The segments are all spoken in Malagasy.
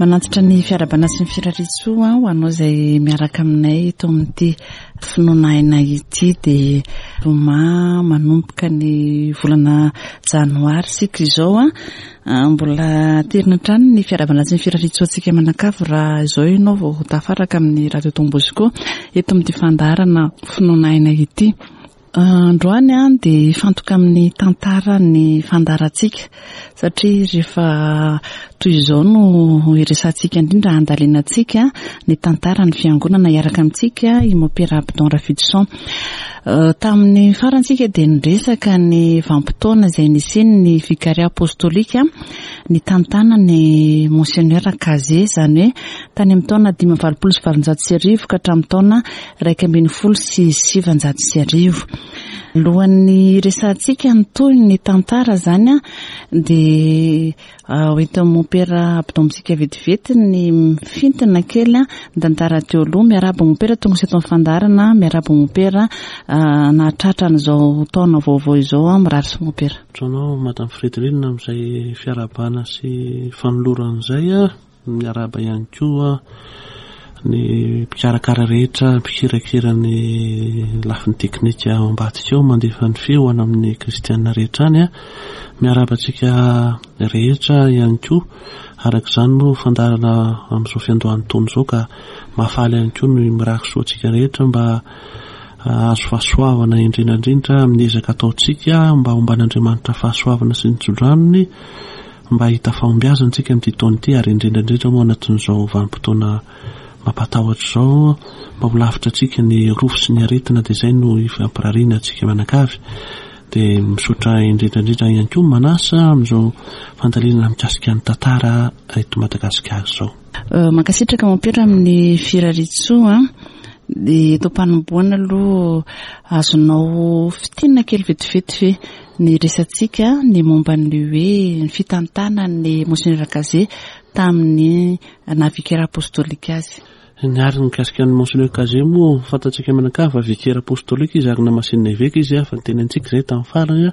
Manantitra ny fiarahabana sy ny firariantsoa ho anao izay miaraka aminay eto amin'ity finoana aina ity dia zoma manomboka ny volana janoary isika izao. Mbola aterina hatrany ny fiarahabana sy ny firariantsoa antsika manakavy raha izao ianao vao tafaraka amin'ny Radio Don Bosco eto amin'ity fandaharana finoana aina ity. Androany dia hifantoka amin'ny tantara ny fandaharantsika satria rehefa toy izao no hiresahantsika indrindra handalinantsika ny tantaran'ny fiangonana hiaraka amintsika i Mopera Abdon Rafidison. Tamin'ny farany isika dia niresaka ny vanim-potoana izay nisian'ny Vicariat Apostolika nitantanan'i Monseigneur Cazé, izany hoe tany amin'ny taona 1885 ka hatramin'ny taona 1911. Alohan'ny hiresahantsika ny tohin'ny tantara izany dia ho entin'i Mompera Abdon amintsika vetivety ny mifintina kely ny tantara teo aloha. Miarahaba Mompera tonga eto amin'ny fandaharana, miarahaba Mompera nahatratra an'izao taona vaovao izao, mirary soa Mompera. Misaotra anao Madame Frédérine amin'izay fiarahabana sy fanolorana izay. Miarahaba ihany koa ny mpikarakara rehetra, mpikirakira ny lafiny teknika ao ambadika ao, mandefa ny feo any amin'ny kristiana rehetra any. Miarahaba antsika rehetra ihany koa. Araka izany moa fandaharana amin'izao fiandohan'ny taona izao ka mahafaly ihany koa ny mirary soa antsika rehetra mba hahazo fahasoavana indrindra indrindra amin'ny ezaka ataontsika mba homban'Andriamanitra fahasoavana sy ny tsodranony mba hahita fahombiazana isika amin'ity taona ity ary indrindra indrindra moa anatin'izao vanim-potoana mampatahotra izao mba ho lavitra antsika ny rofy sy ny aretina dia izay no ifampirariana antsika mianakavy dia misaotra indrindra indrindra ihany koa manasa amin'izao fandalinana mikasika ny tantara eto Madagasikara izao. Euh, mankasitraka mompera amin'ny firariantsoa dia eto am-panombohana aloha azonao fitinina kely vetivety ve Ny resatsika ny momba ny hoe ny fitantanan'ny Monseigneur Cazé tamin'ny naha vicaire apostolique azy. Ny ary mikasika an'i Monseigneur Cazé moa fantatsika mianakavy fa vicaire apostolique izy ary namasinina eveka izy fa nitenentsika izay tamin'ny farany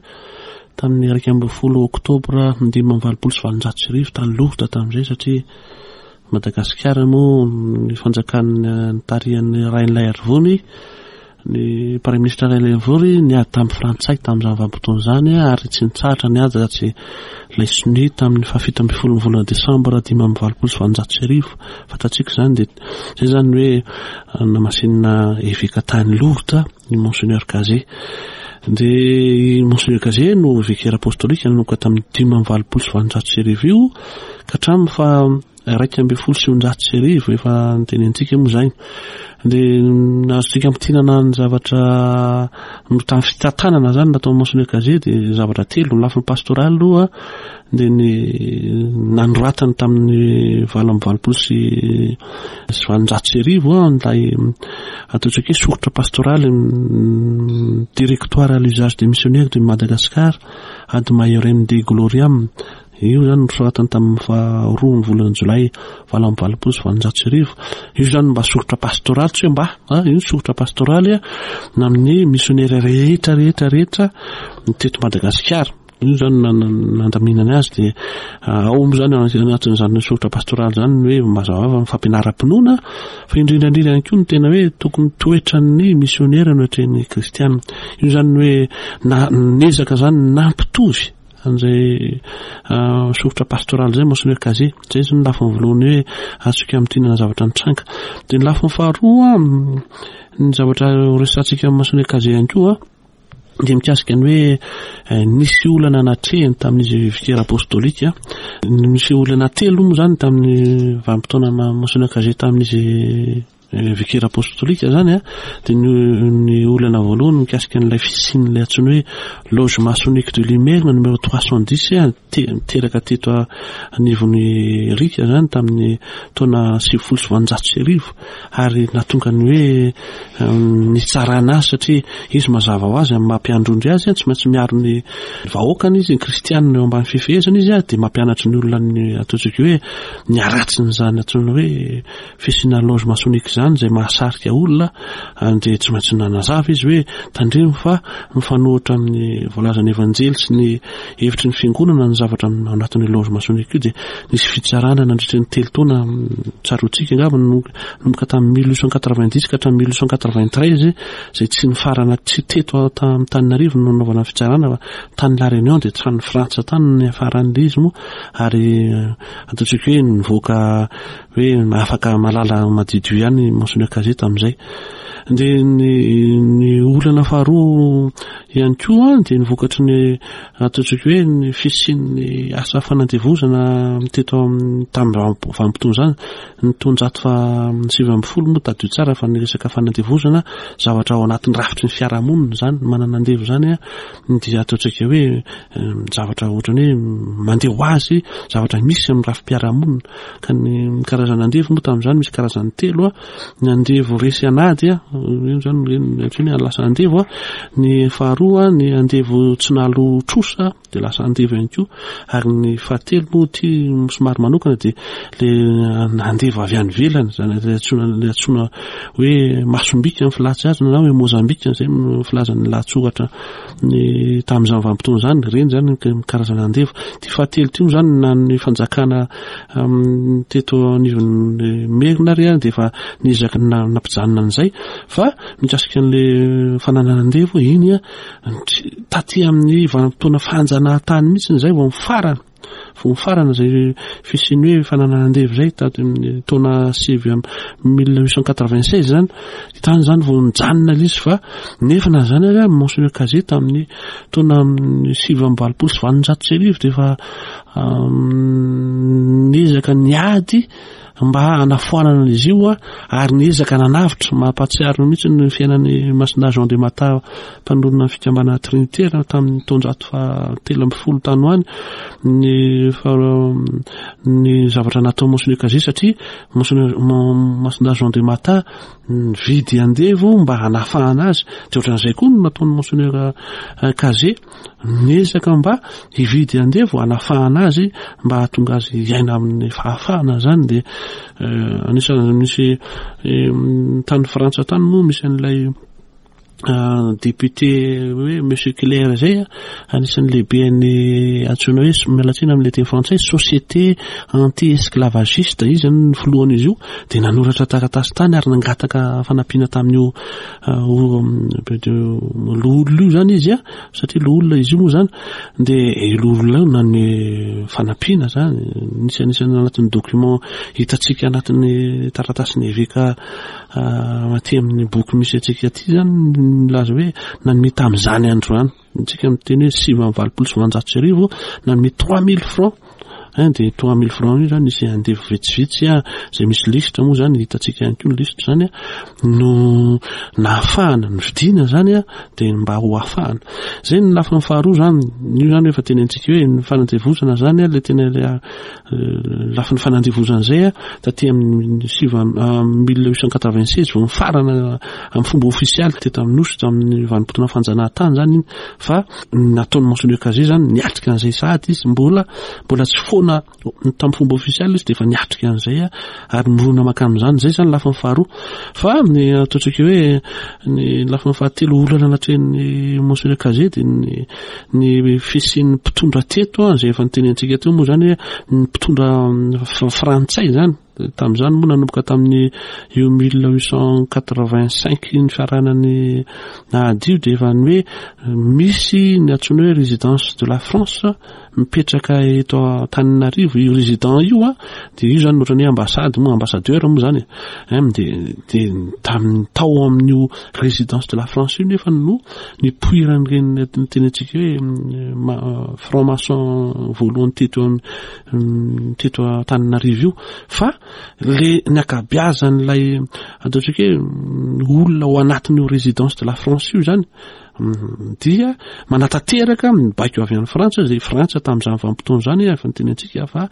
tamin'ny 11 oktobra 1885 tany Lourdes tamin'izay satria Madagasikara moa ny fanjakan'ny nitarihan'ny Rainilaiarivony Ny Praiminisitra Rainilaivory niady tamin'ny Frantsay tamin'izany vanim-potoana izany ary tsy nitsahatra ny ady raha tsy ilay sonia tamin'ny fahafito ambin'ny folon'ny volana desambra 1885. Fantatsika izany dia izay izany ny hoe namasinina eveka tany Lourdes ny Monseigneur Cazé. Dia i Monseigneur Cazé no vicaire apostolique nanomboka tamin'ny 1885 io ka hatramin'ny faha 1911, efa notenenintsika moa izany, dia azontsika amintinana ny zavatra no tamin'ny fitantanana izany nataon'i Monseigneur Cazé dia zavatra telo, ny lafiny pastoraly aloha dia ny nanoratany tamin'ny 1888 ilay ataontsika hoe soritra pastoraly directoire à l'usage des missionnaires de Madagascar ad maiorem Dei gloriam. Io izany nosoratany tamin'ny faha roa ny volana jolay 1888. Io izany mba soritra pastoraly, tsy hoe mba, a, io ny soritra pastoraly amin'ny misionera rehetra rehetra rehetra teto Madagasikara. Io izany nandaminany azy dia ao moa izany anatin'izany soritra pastoraly izany ny hoe mazava ny fampianaram-pinoana fa indrindra indrindra ihany koa ny tena hoe tokony toetran'ny misionera no atrehin'ny kristiana. Io izany ny hoe na nezaka izany nampitovy an'izay soritra pastoraly izay Monseigneur Cazé. Izay izany ny lafiny voalohany hoe azontsika amintinana zavatra nitranga. Dia ny lafiny faharoa, ny zavatra horesahantsika amin'i Monseigneur Cazé ihany koa dia mikasika ny hoe nisy olana natrehiny tamin'izy vicaire apostolique. Nisy olana telo moa izany tamin'ny vanim-potoana Monseigneur Cazé tamin'izy Vicaire apostolique izany a, dia ny ny olana voalohany mikasika an'ilay fisian'ilay antsoina hoe loge maçonnique de l'Imerina numéro 310 a, teraka teto anivon'ny Rika izany tamin'ny taona 1890 ary nahatonga ny hoe nitsarana azy satria izy mazava ho azy amin'ny maha mpiandry ondry azy tsy maintsy miaro ny vahoakany izy, ny kristianina eo ambany fifehezana izy dia mampianatra ny olona ny ataontsika hoe ny haratsin'izany antsoina hoe Fisiana loge maçonnique izany. izany izay mahasarika olona dia tsy maintsy nanazava izy hoe tandremo fa mifanohitra amin'ny voalazan'ny Evanjely sy ny hevitry ny fiangonana ny zavatra ao anatin'io loge maçonnique io dia nisy fitsarana nandritra ny telo taona tsaroantsika angamba nanomboka tamin'ny 1890 ka hatramin'ny 1893 izay tsy nifarana tsy teto Antananarivo no nanaovana ny fitsarana fa tany La Réunion dia tany Frantsa tany no niafaran'ilay izy moa ary ataontsika hoe nivoaka hoe afaka malala madiodio ihany Monseigneur Cazet tamin'izay. Dia ny, ny olana faharoa ihany koa dia ny vokatry ny ataontsika hoe ny fisian'ny asa fanandevozana teto amin'ny tamin'ny vanim-potoana izany, ny taonjato faha 19 moa tadidio tsara fa ny resaka fanandevozana zavatra ao anatin'ny rafitry ny fiarahamonina izany, manana andevo izany dia ataontsika hoe zavatra ohatran'ny hoe mandeha ho azy, zavatra misy amin'ny rafi-piarahamonina. Ka ny karazana andevo moa tamin'izany misy karazany telo, ny andevo resy an'ady, io izany no antsoina hoe lasa andevo, ny faharoa ny andevo tsy nahaloa trosa dia lasa andevo ihany koa, ary ny fahatelo moa ity somary manokana dia le andevo avy any ivelany, izany ilay antsoina ilay antsoina hoe masombika ny filaza azy na hoe mozambika izay no filazan'ny lahatsoratra ny tamin'izany vanim-potoana izany, ireny izany ny karazana andevo. Ity fahatelo ity moa izany na ny fanjakana teto anivon'ny Merina ary dia efa niezaka nampijanona an'izay fa mikasika an'ilay fananana andevo iny taty amin'ny vanim-potoana fanjanahantany mihitsy izay vao mifarana. Vao nifarana izay fisian'ny hoe fananana andevo izay tato amin'ny taona sivy amby 1896 izany, tany izany vao nijanona ilay izy fa nefa na izany ary Monseigneur Cazet tamin'ny taona 1889 dia efa niezaka niady mba hanafoanana an'izy io ary niezaka nanavotra, mampahatsiaro mihitsy ny fiainan'i Masina Jean de Matha mpanorina ny fikambanana trinitera tamin'ny taonjato fahatelo ambin'ny folo tany ho any ny ny zavatra natao Monseigneur Cazet satria Monseigneur Masina Jean de Matha nividy andevo mba hanafahana azy dia ohatran'izay koa no nataon'i Monseigneur Cazet Miezaka mba hividy andevo hanafahana azy mba hahatonga azy hiaina amin'ny fahafahana izany dia eh, anisan'ny misy eh, tany Frantsa tany moa misy an'ilay eh, député hoe monsieur Claire izay anisan'ny lehiben'ny antsoina hoe miala tsiny amin'ilay teny frantsay société anti esclavagiste izy zany ny filohan'izy io dia nanoratra taratasy tany ary nangataka fanampiana tamin'io Loholona io zany izy a, satria loholona izy io moa zany, dia io loholona io nanome fanampiana zany, nisy anisan'ny anatin'ny document hitantsika anatin'ny taratasin'ny eveka aty amin'ny boky misy antsika aty zany milaza hoe nanome tamin'izany andro izany. Antsika miteny hoe 1889 nanome 3000 francs hein dia 3000 francs io zany nisy andevo vitsivitsy a izay misy lisitra moa zany hitantsika ihany koa ny lisitra zany a no nahafahana nividiana zany a dia mba ho ahafahana zay ny lafiny faharoa zany io zany efa tenentsika hoe ny fanandevozana zany a le tena le lafiny fanandevozana zay a taty amin'ny sivy 1896 vao nifarana amin'ny fomba ofisialy teto amin'ny Nosy tamin'ny vanim-potoana fanjanahantany izany iny fa nataon'i Monseigneur Cazet izany niatrika an'izay sahady izy mbola mbola tsy foana tamin'ny fomba ofisialy izy dia efa niatrika an'izay ary mirona mankany amin'izany izay izany lafiny faharoa fa ny ataontsika hoe ny lafiny fahatelo olana natrehin'ny Monseigneur Cazet dia ny ny fisian'ny mpitondra teto izay efa nitenentsika teo moa izany hoe ny mpitondra frantsay izany Tamin'izany moa nanomboka tamin'ny io 1885 ny fiaranan'ny ady io dia efa ny hoe misy ny antsoina hoe résidence de la France mipetraka eto Antananarivo io résident io a dia io zany ohatran'ny hoe ambassade moa ambassadeur moa zany e dia dia tamin'ny tao amin'io résidence de la France io nefa no nipoiran'ireny tenentsika hoe franc maçon voalohany teto teto Antananarivo io fa le ny ankabeazan'ilay ataontsika hoe olona ao anatin'io résidence de la France io zany Dia manatanteraka ny baiko avy any Frantsa, izay Frantsa tamin'izany vanim-potoana izany efa niteny antsika fa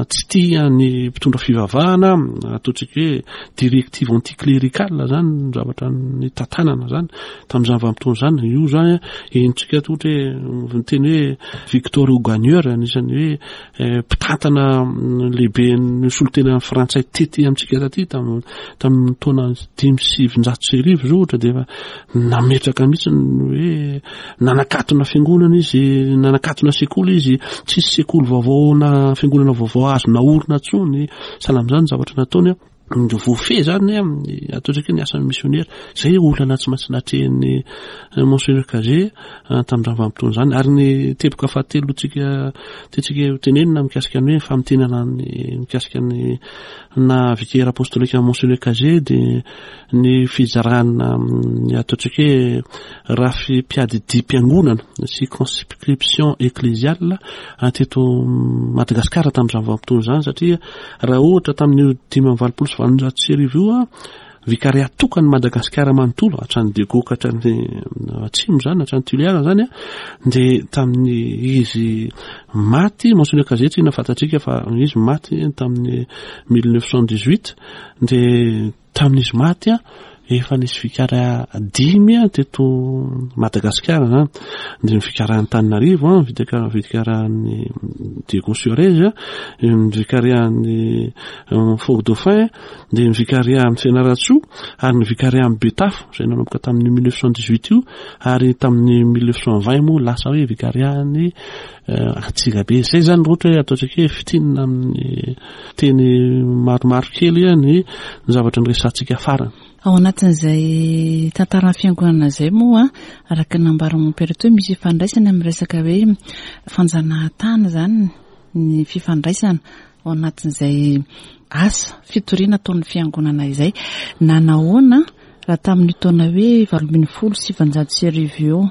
tsy tia ny mpitondra fivavahana, ataontsika hoe directive anticléricale izany ny zavatra nitantanana izany tamin'izany vanim-potoana izany. Io izany henontsika ohatra hoe niteny hoe Victor Augagneur anisan'ny hoe mpitantana lehiben'ny solontenan'ny frantsay tety amintsika taty tamin'ny taona 1905 izao ohatra dia efa nametraka mihitsy ny hoe nanakatona fiangonana izy, nanakatona sekoly izy, tsisy sekoly vaovao na fiangonana vaovao azo naorina intsony, sahala amin'izany ny zavatra nataony an. Ny voafehy izany amin'ny ataontsika hoe ny asan'ny misionera. Izay olana tsy maintsy natrehin'ny Monseigneur Cazé tamin'izany vanim-potoana izany. Ary ny teboka fahatelo tsika tiantsika ho tenenina mikasika ny hoe famintinana ny mikasika ny na vicaire apostolique an'i Monseigneur Cazé dia ny fizarana ny ataontsika hoe rafi-piadidiam-piangonana circonscription ecclésiale teto Madagasikara tamin'izany vanim-potoana izany satria Raha ohatra tamin'io 1885 io, vikariat tokan'i Madagasikara manontolo, hatrany Diego ka hatrany Atsimo izany, hatrany Toliara izany, dia tamin'ny izy maty, Monseigneur Cazet inona fantatsika fa izy maty tamin'ny 1918, dia Tamin'izy maty, efa nisy vikara dimy teto Madagasikara izany. Dia ny vikaran'Antananarivo, ny vikaran'i Diego Suarez, ny vikarian'i Fort Dauphin, dia ny vikarian'i Fianarantsoa ary ny vikarian'i Betafo izay nanomboka tamin'ny 1918 io ary tamin'ny 1920 moa lasa hoe vikarian'i Antsirabe. Izay izany raha ohatra hoe ataontsika hoe fintinina amin'ny Teny maromaro kely ny zavatra niresahantsika farany. Ao anatin'izay tantaran'ny fiangonana izay moa, araka ny nambaran'i Mompera teo, misy ifandraisany amin'ny resaka hoe fanjanahantany izany ny fifandraisana ao anatin'izay asa fitoriana ataon'ny fiangonana izay. Na nahoana Raha tamin'io taona hoe 1918 io,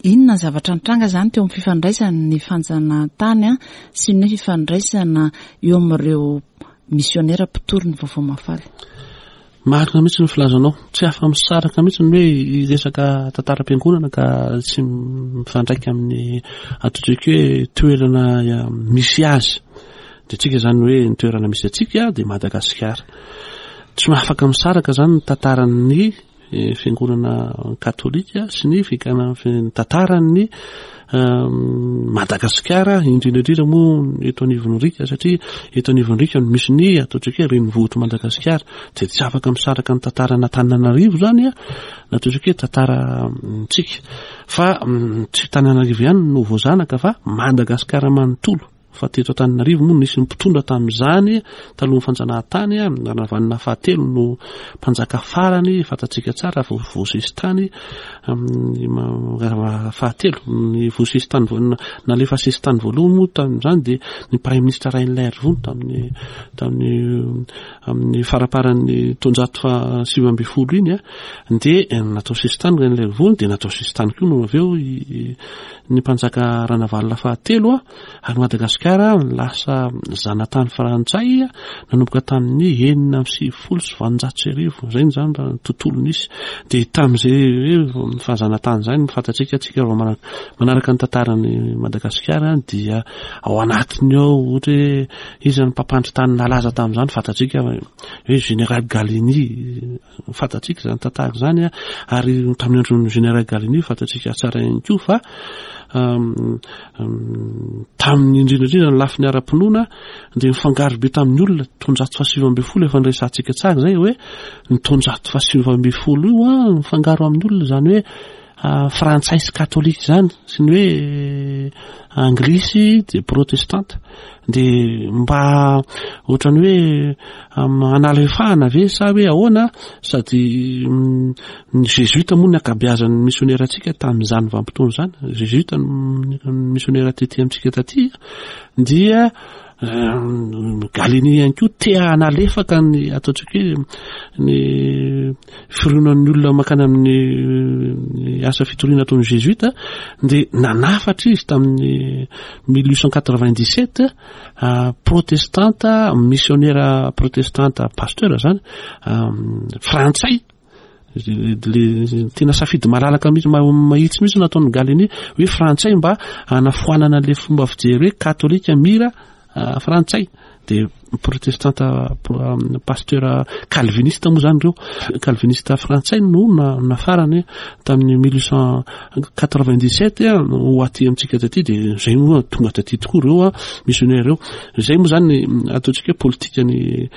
inona ny zavatra nitranga izany teo amin'ny fifandraisan'ny fanjanahantany sy ny fifandraisana eo amin'ireo misionera mpitory ny vaovao mahafaly? Marina mihitsy ny filazanao. Tsy afa-misaraka mihitsy ny hoe hiresaka tantaram-piangonana ka tsy mifandraika amin'ny ataontsika hoe toerana misy azy. Dia tsika izany hoe ny toerana misy antsika dia Madagasikara. Tsy afaka misaraka izany ny tantaran'ny eh, fiangonana katolika sy ny ny tantaran'ny ehm, Madagasikara indrindra indrindra moa eto anivon'ny riaka satria eto anivon'ny riaka no misy ny ataontsika hoe renivohitr'i Madagasikara dia tsy afaka misaraka ny tantaran'Antananarivo izany a na ataontsika hoe tantarantsika fa mm, tsy Tananarivo ihany no voazanaka fa Madagasikara manontolo Fa teto Antananarivo moa nisy mpitondra tamin'izany talohan'ny fanjanahantany, Ranavalona fahatelo no mpanjaka farany fantatsika tsara vao voasesitany amin'ny fahatelo. Ny voasesitany nalefa sesitany voalohany moa tamin'izany dia ny praiminisitra Rainilaiarivony tamin'ny tamin'ny amin'ny faraparan'ny taonjato faha 19 iny dia natao sesitany Rainilaiarivony dia natao sesitany koa no avy eo ny mpanjaka Ranavalona fahatelo Ary Madagasikara lasa zanatany frantsay nanomboka tamin'ny 1896. Izay izany raha ny tontolo nisy. Dia tamin'izay hoe fahazanatany izay no fantatsika antsika vao manaraka ny tantaran'i Madagasikara dia ao anatiny ao ohatra hoe iza ny mpampandry tany nalaza tamin'izany fantatsika hoe Général Gallieni fantatsika izany tantara izany ary tamin'ny andron'ny Général Gallieni fantatsika tsara ihany koa fa tamin'ny indrindra indrindra ny lafiny ara-pinoana dia nifangaro be tamin'ny olona taonjato faha 19 efa niresahantsika tsara izay hoe ny taonjato faha 19 io a mifangaro amin'ny olona izany hoe frantsay sy katolika izany sy ny hoe anglisy dia protestanta dia mba ohatran'ny hoe hanalefahana ve sa hoe ahoana sady ny jésuite moa ny ankabeazan'ny missionnaire antsika tamin'izany vanim-potoana izany jésuite ny missionnaire tety amintsika taty dia Gallieni ihany koa te hanalefaka ny ataontsika hoe ny fironan'ny olona mankany amin'ny asa fitoriana ataon'ny jésuite dia nanafatra izy tamin'ny 1897 protestanta missionnaire protestanta pasteur zany frantsay. Le tena safidy malalaka mihitsy, mahitsy mihitsy nataon'i Gallieni hoe frantsay mba hanafoanana an'ilay fomba fijery hoe katolika mira frantsay. Dia protestanta pasteur calviniste moa zany ireo. Calviniste frantsay no nafarany tamin'ny 1897 ho aty amintsika taty, dia izay moa tonga taty tokoa ireo missionnaire ireo. Izay moa zany ataontsika hoe politika ny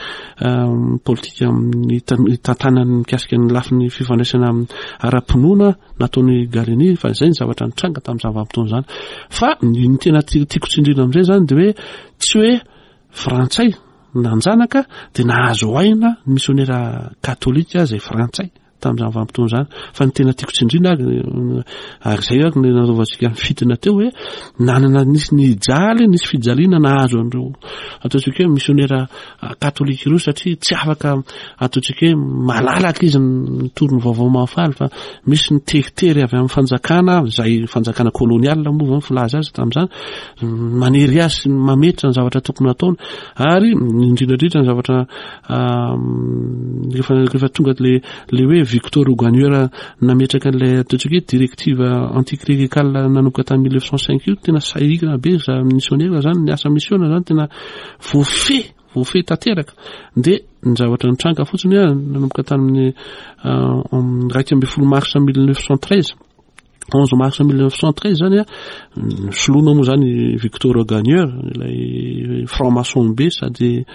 politika amin'ny tantanany mikasika ny lafiny fifandraisana ara-pinoana nataon'i Gallieni, fa izay ny zavatra nitranga tamin'izany vanim-potoana izany. Fa ny tena tiako tsindriana amin'izay zany dia hoe tsy hoe frantsay nanjanaka dia nahazo aina ny misionera katolika izay frantsay tamin'izany vanim-potoana izany. Fa ny tena tiako tsindriana ary, ary izay ary no nanaovantsika ny fitina teo hoe nanana nisy nijaly, nisy fijaliana nahazo an'ireo ataontsika hoe misionera katolika ireo satria tsy afaka ataontsika hoe malalaka izy mitory ny vaovao mahafaly fa misy ny teritery avy amin'ny fanjakana, izay fanjakana kolonial moa zany filaza azy tamin'izany, manery azy sy mametra ny zavatra tokony hataony ary indrindra indrindra ny zavatra rehefa rehefa tonga le le hoe Victor Augagneur nametraka an'ilay ataontsika hoe directive anticléricale nanomboka tamin'ny 1905 io, tena sahirana be za missionnaire zany, ny asa misiona zany tena voafehy, voafehy tanteraka. Dia ny zavatra nitranga fotsiny hoe nanomboka tamin'ny 11 mars 1913, 11 mars 1913 zany a, soloina moa zany Victor Augagneur, ilay franc-maçon be sady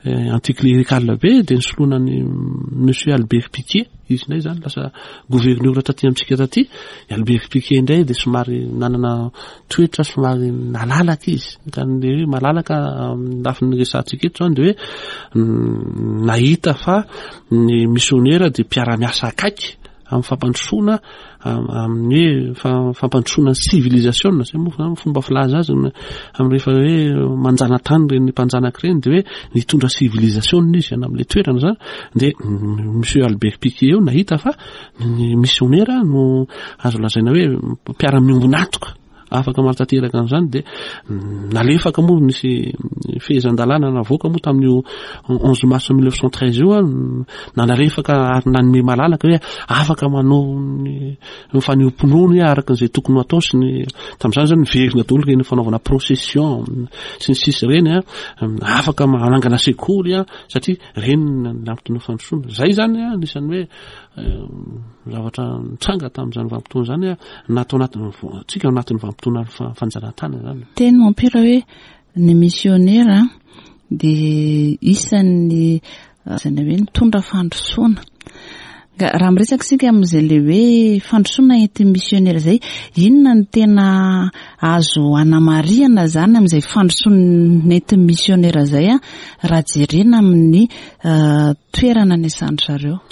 anticlérical be, dia nisoloina an'i Monsieur Albert Picquet, izy indray zany lasa gouverneur taty amintsika taty. I Albert Picquet indray dia somary nanana toetra somary nalalaka izy, ka ny hoe malalaka amin'ny lafiny resahantsika eto zany dia hoe nahita fa ny misionera dia mpiara-miasa akaiky amin'ny fampandrosoana, amin'ny hoe fampandrosoana ny civilisation, zay moa zany fomba filaza azy amin'ny rehefa hoe manjanatany ireny mpanjanaka ireny dia hoe nitondra civilisation izy any amin'ilay toerana zany. Dia Monsieur Albert Picquet eo nahita fa ny missionnaire no azo lazaina hoe mpiara-miombon'antoka afaka manatanteraka an'izany. Dia nalefaka moa, nisy fehezan-dalàna navoaka moa tamin'io 11 mars 1913 io, nanalefaka ary nanome malalaka hoe afaka manao ny fanehoam-pinoana hoe araka an'izay tokony ho atao sy ny tamin'izany zany niverina daholo ireny fanaovana procession sy ny sisa ireny, afaka manangana sekoly satria ireny nampitony fandrosoana. Izay zany anisan'ny hoe zavatra nitranga tamin'izany vanim-potoana izany, na tao anatin'ny tsika ao anatin'ny vanim-potoana fanjanahantany izany. Teny mompera hoe ny misionera dia isan'ny izany hoe nitondra fandrosoana. Ka raha miresaka isika amin'izay le hoe fandrosoana entin'ny misionera izay, inona no tena azo anamarihana izany amin'izay fandrosoana nentin'ny misionera izay raha jerena amin'ny toerana niasan-dry zareo.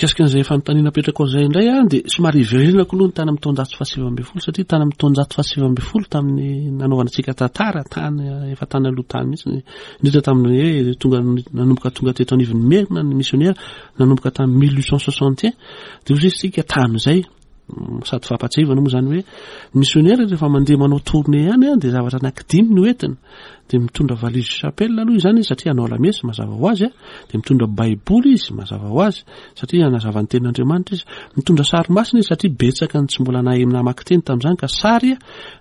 Mikasika an'izay fanontaniana apetrakao izay indray aho dia somary hiverenako aloha ny tany amin'ny taonjato fahasivy ambin'ny folo satria tany amin'ny taonjato fahasivy ambin'ny folo tamin'ny nanaovana antsika tantara tany efa tany aloha tany mihitsy, indrindra tamin'ny hoe tonga nanomboka tonga teto anivon'ny Merina ny misionera nanomboka tamin'ny mille huit cent soixante et un dia hoy isika tamin'izay sady fampatsiahivana moa izany hoe ny misionera rehefa mandeha manao tournée ihany dia zavatra anankidimy no entiny. Dia mitondra valise chapelle aloha izany izy satria hanao lamesa mazava ho azy, dia mitondra baiboly izy mazava ho azy satria hanazava ny tenin'Andriamanitra izy, mitondra sary masina izy satria betsaka ny tsy mbola nahay namaky teny tamin'izany ka sary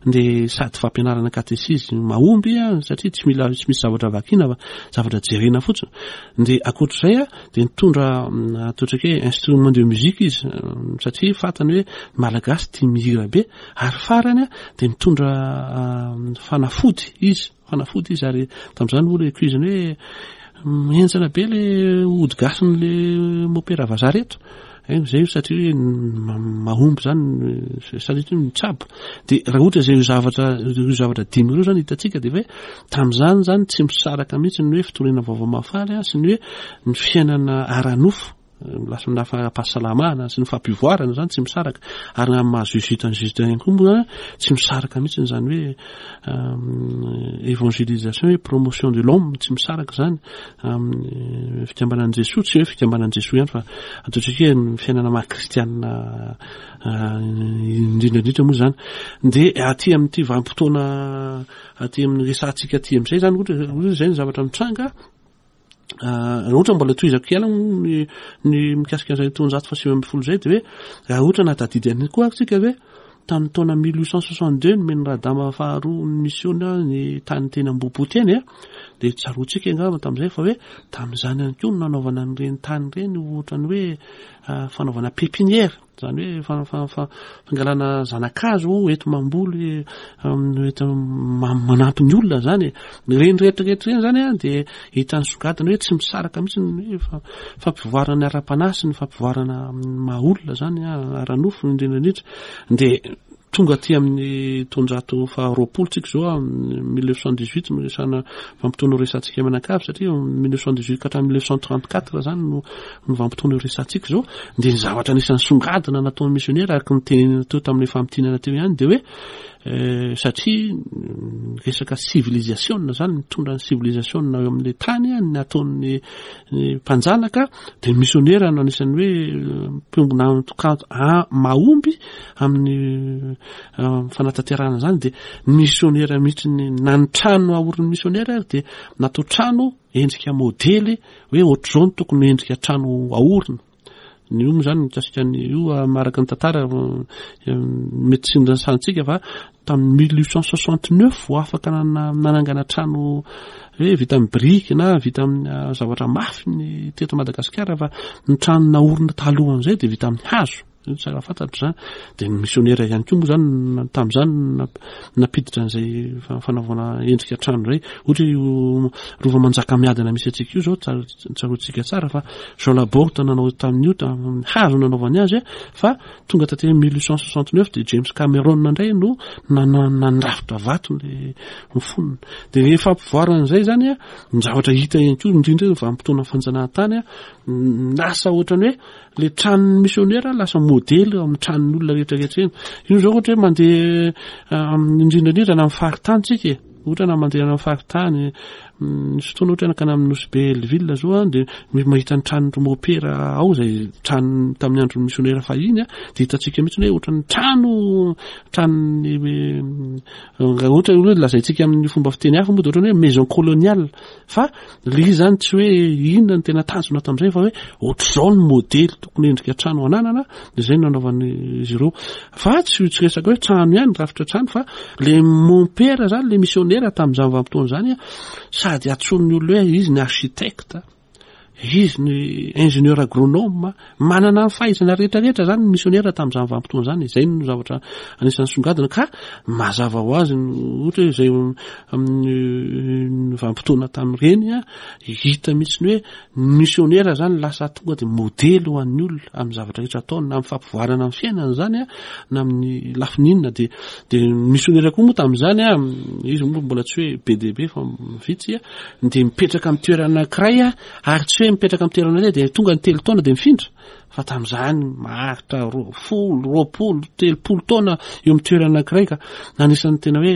dia sady fampianarana katesizy mahomby satria tsy mila tsy misy zavatra vakiana fa zavatra jerena fotsiny. Dia ankoatr'izay dia nitondra ataontsika hoe instrument de musique izy satria fantany hoe ny Malagasy tia mihira be, ary farany dia nitondra fanafody izy, fanafody izy ary tamin'izany moa ilay cuisine hoe henjana be ilay ody gasin'ilay mopera vazaha reto. Haino izay io satria hoe mahomby izany satria mitsabo. Dia raha ohatra izay zavatra ireo zavatra dimy ireo izany hitantsika dia hoe tamin'izany izany tsy misaraka mihitsy ny hoe fitoriana vaovao mahafaly sy ny hoe ny fiainana ara-nofo lasa ny fahasalamana sy ny fampivoarana izany tsy misaraka, ary amin'ny maha jésuite an'i jésuite ihany koa moa tsy misaraka mihitsy izany hoe évangélisation hoe promotion de l'homme tsy misaraka izany amin'ny fikambanan'i Jesoa, tsy hoe fikambanan'i Jesoa ihany fa ataontsika hoe ny fiainana maha kristianina indrindra indrindra moa izany. Dia aty amin'ity vanim-potoana aty amin'ny resahantsika aty amin'izay izany ohatra hoe izay ny zavatra mitranga. Raha ohatra mbola tohizako ihany moa ny ny mikasika an'izay taonjato faha 19 izay dia hoe raha ohatra nahatadidy an'iny koa ary tsika hoe tamin'ny taona 1862 nomen'i Radama faharoa ny misiona ny tany teny Ambohipo teny a, dia tsaroantsika angamba tamin'izay fa hoe tamin'izany ihany koa no nanaovana an'ireny tany ireny ohatran'ny hoe fanaovana pépinière. Izany hoe fangalana zana-kazo enti-mamboly, enti-manampy ny olona izany e. Ireny rehetra rehetra ireny izany dia hita nisongadina hoe tsy misaraka mihitsy ny hoe fampivoarana ara-panahy sy ny fampivoarana amin'ny maha olona izany, ara-nofo indrindra indrindra. Dia Tonga aty amin'ny taonjato faha 20 tsika izao, amin'ny 1918 no resahana vanim-potoana resahantsika mianakavy satria 1918 ka hatramin'ny 1934 izany no no vanim-potoana resahantsika izao. Dia ny zavatra anisan'ny songadina nataon'ny misionera araka ny tenenina teo tamin'ilay famintinana teo ihany dia hoe eh, satria resaka civilisation izany mitondra ny civilisation eo amin'ilay tany ny ataon'ny mpanjanaka dia ny misionera no anisan'ny hoe mpiombona antoka mahomby amin'ny fanatanterahana izany dia ny misionera mihitsy ny na ny trano aorin'ny misionera ary dia natao trano endrika modely hoe ohatr'izao no tokony endrika trano aorina. Ny io moa izany mikasika ny io araka ny tantara mety tsy noresahantsika fa tamin'ny 1869 vao afaka nanangana trano hoe vita amin'ny biriky na vita amin'ny zavatra mafy ny teto Madagasikara fa ny trano naorina talohan'izay dia vita amin'ny hazo. Io tsara fantatra izany. Dia ny misionera ihany koa moa izany tamin'izany nampiditra an'izay fanaovana endrika trano izay. Ohatra io Rova Manjakamiadana misy antsika io izao, tsaroantsika tsara fa Jean Laborde nanao tamin'io, tamin'ny hazo nanaovany azy, fa tonga taty amin'ny 1869 dia James Cameron indray no nandrafitra vato ny fonony. Dia ny fampivoarana izay izany, ny zavatra hita ihany koa, indrindra ny vanim-potoana fanjanahantany, lasa ohatran'ny hoe Le tranon'ny misionera lasa modely eo amin'ny tranon'ny olona rehetra rehetra eny. Io zao ohatra hoe mandeha indrindra indrindra na amin'ny faritany tsika e. Ohatra na mandeha any amin'ny faritany, misy fotoana ohatra nankany amin'ny Nosy Be Hellville zao aho dia mahita ny tranon'ny mopera ao izay trano tamin'ny andron'ny misionera fahiny dia hitantsika mihitsy hoe ohatran'ny trano tranon'ny ohatra hoe lazaintsika amin'ny fomba fiteny hafa moa dia ohatran'ny hoe maison coloniale. Fa le izy zany tsy hoe inona no tena tanjona tamin'izay fa hoe ohatr'izao ny modely tokony endrika trano ananana dia izay no nanaovan'izy ireo. Fa tsy tsy resaka hoe trano ihany, rafitra trano fa le mompera zany, le missionnaire tamin'izany vanim-potoana izany sady antsoin'ny olona hoe izy ny architecte, izy ny ingénieur agronome, manana ny fahaizana rehetra rehetra zany ny missionnaire tamin'izany vanim-potoana izany, izay no zavatra anisan'ny songadina ka mazava ho azy ohatra hoe izay amin'ny vanim-potoana tamin'ireny hita mihitsy ny hoe ny missionnaire zany lasa tonga dia modely ho an'ny olona amin'ny zavatra rehetra ataony na amin'ny fampivoarana ny fiainana zany na amin'ny lafiny inona dia dia ny missionnaire koa moa tamin'izany izy moa mbola tsy hoe be dia be fa vitsy dia mipetraka amin'ny toerana anankiray ary tsy hoe mipetraka amin'ny toerana iray dia tonga ny telo taona dia mifindra fa tamin'izany maharitra 20, 20, 30 taona eo amin'ny toerana anankiray ka anisan'ny tena hoe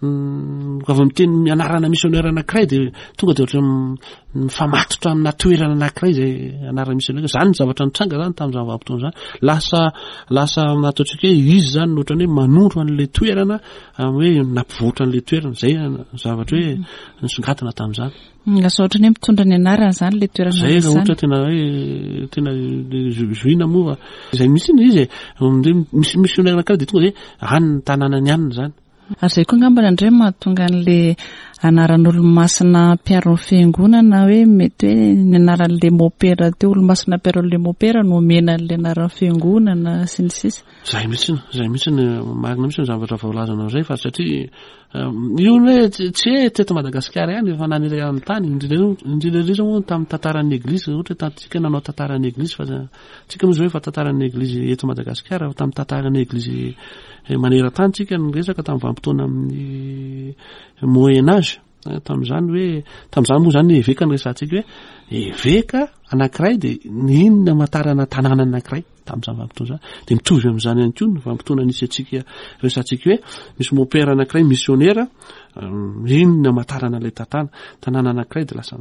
raha vao miteny ny anarana missionnaire anankiray dia tonga dia ohatran'ny mifamatotra amina toerana anankiray izay anarana missionnaire. Izany ny zavatra nitranga izany tamin'izany vanim-potoana izany. Lasa lasa ataontsika hoe izy izany no ohatran'ny hoe manondro an'ilay toerana hoe nampivoatra an'ilay toerana. Izay zavatra hoe nisongadina tamin'izany. Lasa ohatran'ny hoe mitondra ny anarany izany ilay toerana Izay raha ohatra tena hoe tena zohina moa fa izay mihitsy ilay izy e. Misy missionnaire anankiray dia tonga dia any ny tanànany any izany. Ary izay koa angambany indray mahatonga an'ilay anaran'olomasina mpiaro ny fiangonana hoe mety hoe ny anaran'ilay mopera teo olomasina mpiaro an'ilay mopera no omena an'ilay anaran'ny fiangonana sy ny sisa. Izay mihitsy, izay mihitsy ny marina mihitsy ny zavatra voalazanao izay fa satria io ny hoe tsy hoe teto Madagasikara ihany fa nanerana ny tany indrindra indrindra indrindra moa tamin'ny tantaran'ny eglizy ohatra hoe tamintsika nanao tantaran'ny eglizy fa tsika moa izao efa tantaran'ny eglizy eto Madagasikara fa tamin'ny tantaran'ny eglizy maneran-tany tsika no resaka tamin'ny vanim-potoana amin'ny moyen âge tamin'izany hoe tamin'izany moa izany eveka no resahantsika hoe eveka anankiray dia ny inona amantarana tanàna anankiray. tamin'izany vanim-potoana izany. Dia mitovy amin'izany ihany koa ny vanim-potoana nisy antsika resahantsika hoe misy mopera anankiray misionera, iny ny hamantarana ilay tantana, tanàna anankiray dia lasa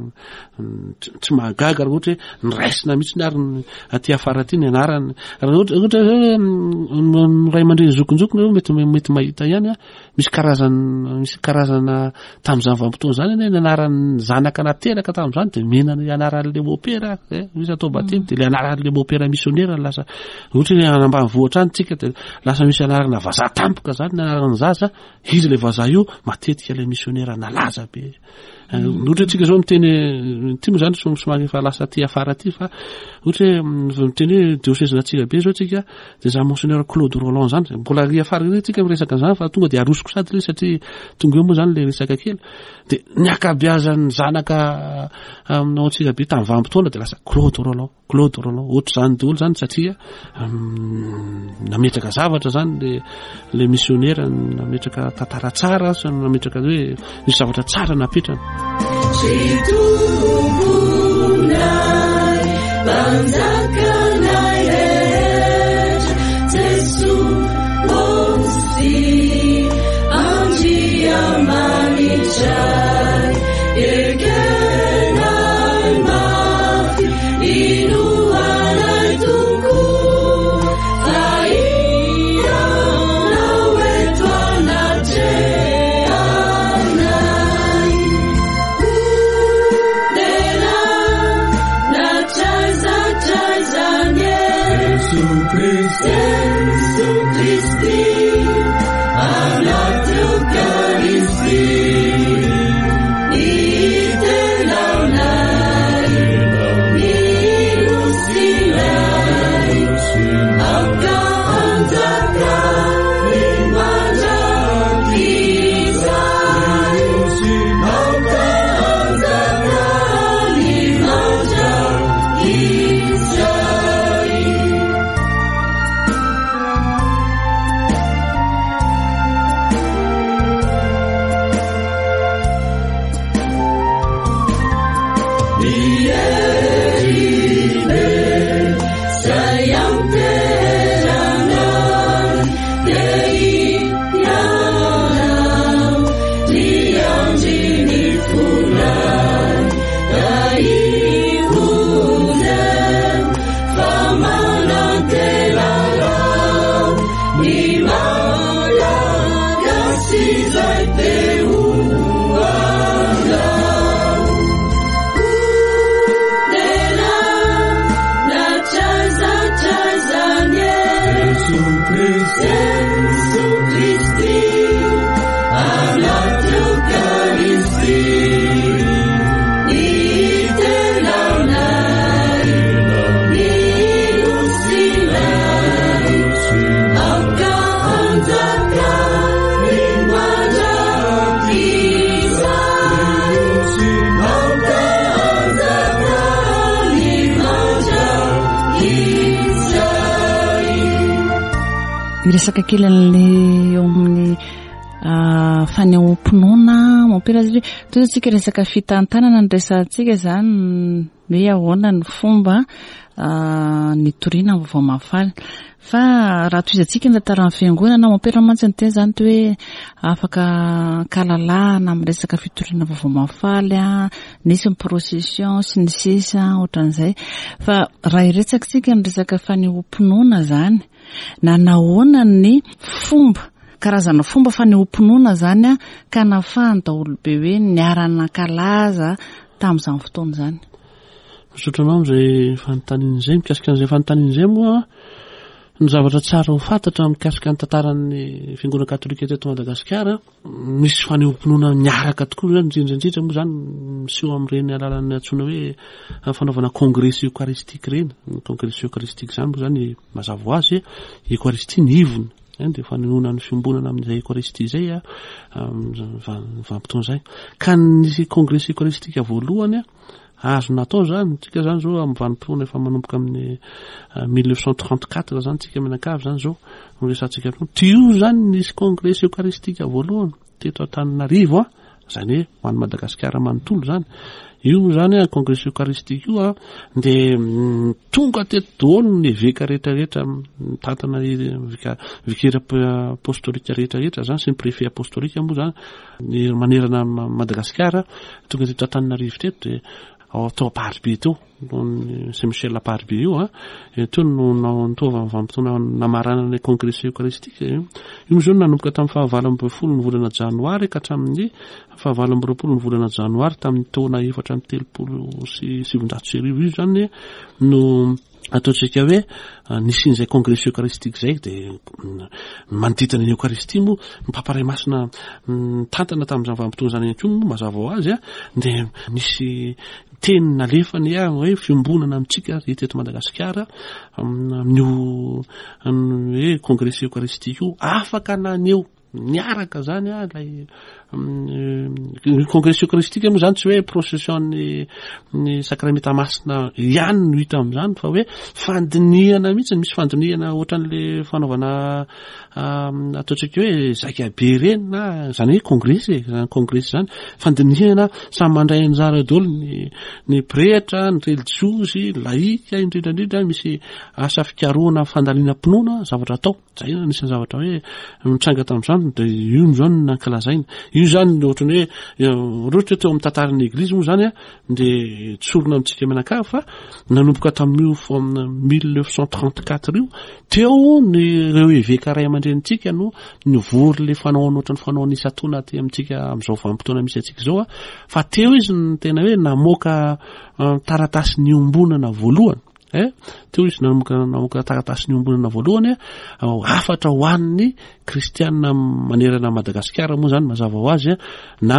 tsy mahagaga raha ohatra hoe niraisina mihitsy ary ny aty afara aty ny anarany. Raha ohatra ohatra hoe ny ray aman-dreny zokinjokiny mety mety mahita ihany a, misy karazana misy karazana tamin'izany vanim-potoana izany anie ny anaran'ny zanaka nateraka tamin'izany dia omena ny anaran'ilay mopera eh, misy atao batemy dia ilay anaran'ilay mopera misionera lasa ohatra hoe any ambanivohitra any tsika dia lasa misy anarana vazaha tampoka izany ny anaran'ny zaza, izy ilay vazaha io matetika ilay misionera nalaza be. Ohatra hoe tsika zao miteny ity moa zany somary efa lasa aty afara aty fa ohatra hoe miteny hoe diocèse n'Antsirabe zao tsika dia za monseigneur Claude Rolland zany mbola ary afara ry tsika miresaka an'izany fa tonga dia arosoko sady le satria tonga eo moa zany le resaka kely dia ny ankabeazan'ny zanaka aminao Antsirabe tamin'ny vanim-potoana dia lasa Claude Rolland. Claude Rolland, ohatr'izany daholo izany satria nametraka zavatra izany le le missionnaire nametraka tantara tsara sy nametraka hoe nisy zavatra tsara napetrany. Miresaka kely an'le eo amin'ny ah, fanehoam-pinoana mompera satria toy izao tsika resaka fitantanana ny resahantsika izany hoe ahoana ny fomba ah, nitoriana ny vaovao mahafaly. Fa raha tohizantsika ny tantaran'ny fiangonana, mompera mantsy niteny izany toy hoe afaka ankalalahana amin'ny resaka fitoriana vaovao mahafaly, nisy ny procession sy ny sisa ohatran'izay. Fa raha hiresaka isika ny resaka fanehoam-pinoana izany, na nahoana ny fomba, karazana fomba fanehoam-pinoana izany ka nahafahan'ny daholobe hoe niara-nankalaza tamin'izany fotoana izany. Misaotra anao amin'izay fanontaniana izay. Mikasika an'izay fanontaniana izay moa, ny zavatra tsara ho fantatra mikasika ny tantaran'ny Fiangonana Katolika teto Madagasikara, misy fanehoam-pinoana miaraka tokoa izany, indrindra indrindra moa izany miseho amin'ireny alalan'ny antsoina hoe fanaovana kongresy eokaristika ireny. Ny kongresy eokaristika izany moa izany mazava ho azy, Eokaristia ny ivony, dia fanehoana ny fiombonana amin'izay Eokaristia izay amin'izany vanim-potoana izay. Ka ny kongresy eokaristika voalohany Azo natao izany, tsika izany izao amin'ny vanim-potoana efa manomboka amin'ny 1934 izany tsika mianakavy izany izao no resahantsika eto. Tio izany nisy kongresy eokaristika voalohany teto Antananarivo an. Izany hoe ho an'i Madagasikara manontolo izany. Io moa izany an, Congrès Eucharistique io an, dia tonga teto daholo ny eveka rehetra rehetra mitantana vika vikera apostolika rehetra rehetra izany sy ny préfet apostolika moa izany ny manerana an'i Madagasikara tonga teto Antananarivo teto dia ao tao Amparibe teo. Saint Michel Amparibe io a, teo no nanaovana vanim-potoana namaranana ny Congrès Eucharistique. Io moa izao no nanomboka tamin'ny fahavalo ambin'ny folo ny volana janoary ka hatramin'ny fahavalo amby roapolo ny volana janoary tamin'ny taona 1934 io izany no ataontsika hoe nisian'izay Congrès Eucharistique izay dia manodidina ny Eokaristia moa ny Papa Ray Masina nitantana tamin'izany vanim-potoana izany ihany koa moa mazava ho azy dia nisy Teny nalefany hoe fiombonana amintsika ry teto Madagasikara amin'io hoe Congrès Eucharistique io, afaka naneho niaraka zany ilay ny Congrès Eucharistique moa zany tsy hoe procession ny ny sakramenta masina ihany no hita amin'izany fa hoe fandinihana mihitsy, misy fandinihana ohatran'le fanaovana ataontsika hoe zaikabe ireny na izany hoe kongresy e, izany kongresy izany, fandinihana samy mandray anjara daholo ny ny pretra, ny relijiozy, ny laïka indrindra indrindra, misy asa fikarohana fandalinam-pinoana zavatra atao, izay no anisan'ny zavatra hoe nitranga tamin'izany dia io no izany no nankalazaina, io izany ohatran'ny hoe raha ohatra hoe teo amin'ny tantaran'ny eglizy moa izany an dia tsorina amintsika mianakavy fa nanomboka tamin'io 1934 io teo ny ireo eveka ray aman-drenintsika no nivory le fanao ohatran'ny fanao isan-taona aty amintsika amin'izao vanim-potoana misy antsika izao a fa teo izy no tena hoe namoaka eh, taratasy niombonana voalohany eh teo izy namoaka namoaka taratasy niombonana voalohany eh, hafatra ho an'ny kristianina manerana Madagasikara moa zany mazava ho azy na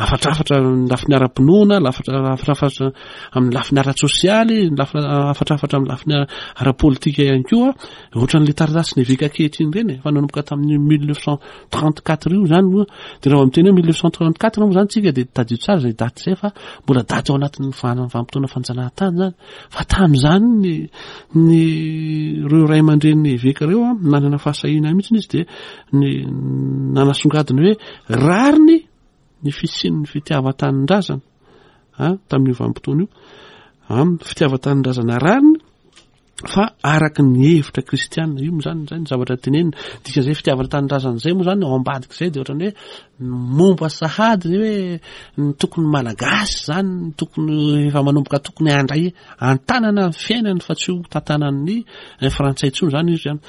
hafatrafatra amin'ny lafiny ara-pinoana, hafatrafatra amin'ny lafiny ara-tsosialy, hafatrafatra amin'ny lafiny ara-politika ihany koa, ohatran'ilay taratasy ny eveka ankehitriny ireny e, fa nanomboka tamin'ny 1934 io zany moa, dia raha vao miteny hoe 1934 moa zany tsika dia tadidio tsara izay daty izay fa mbola daty ao anatin'ny vanim-potoana fanjanahantany zany. Fa tamin'izany ny ny ireo ray aman-drenin'ny eveka ireo an, nanana fahasahiana mihitsy izy dia ny nanasongadina hoe rariny ny fisian'ny fitiavan-tanindrazana an, tamin'io vanim-potoana io. An, fitiavan-tanindrazana rariny fa araka ny hevitra kristiana. Io moa izany izay ny zavatra tenenina. Dikan'izay fitiavana tanindrazana izay moa izany ao ambadik'izay dia ohatran'ny hoe momba sahady ny hoe ny tokony malagasy izany ny tokony efa manomboka tokony handray an-tanana ny fiainany fa tsy ho tantanan'ny frantsay intsony izany izy izany.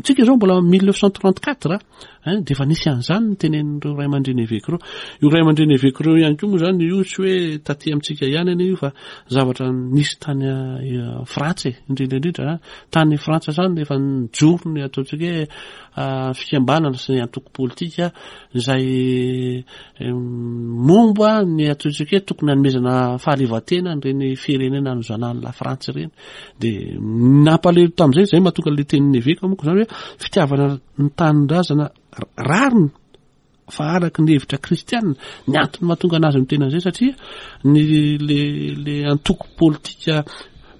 Tsika izao mbola 1934 Hein, dia efa nisy an'izany ny tenenin'ireo ray aman-dreny eveka ireo. Io ray aman-dreny eveka ireo ihany koa moa izany io tsy hoe taty amintsika ihany anie io fa zavatra nisy tany eh, Frantsa e, indrindra indrindra tany Frantsa izany efa nijoro ny ataontsika hoe ah, fikambanana sy ny antoko politika izay eh, momba ny ataontsika hoe tokony hanomezana fahaleovantena an'ireny firenena nozanahan'ny La Frantsa ireny. Dia nampalahelo tamin'izay, izay mahatonga ilay tenin'ny eveka moa izany hoe fitiavana ny tanindrazana rariny fa araka ny hevitra kristianina ny antony mahatonga anazy miteny an'izay satria ny le le antoko politika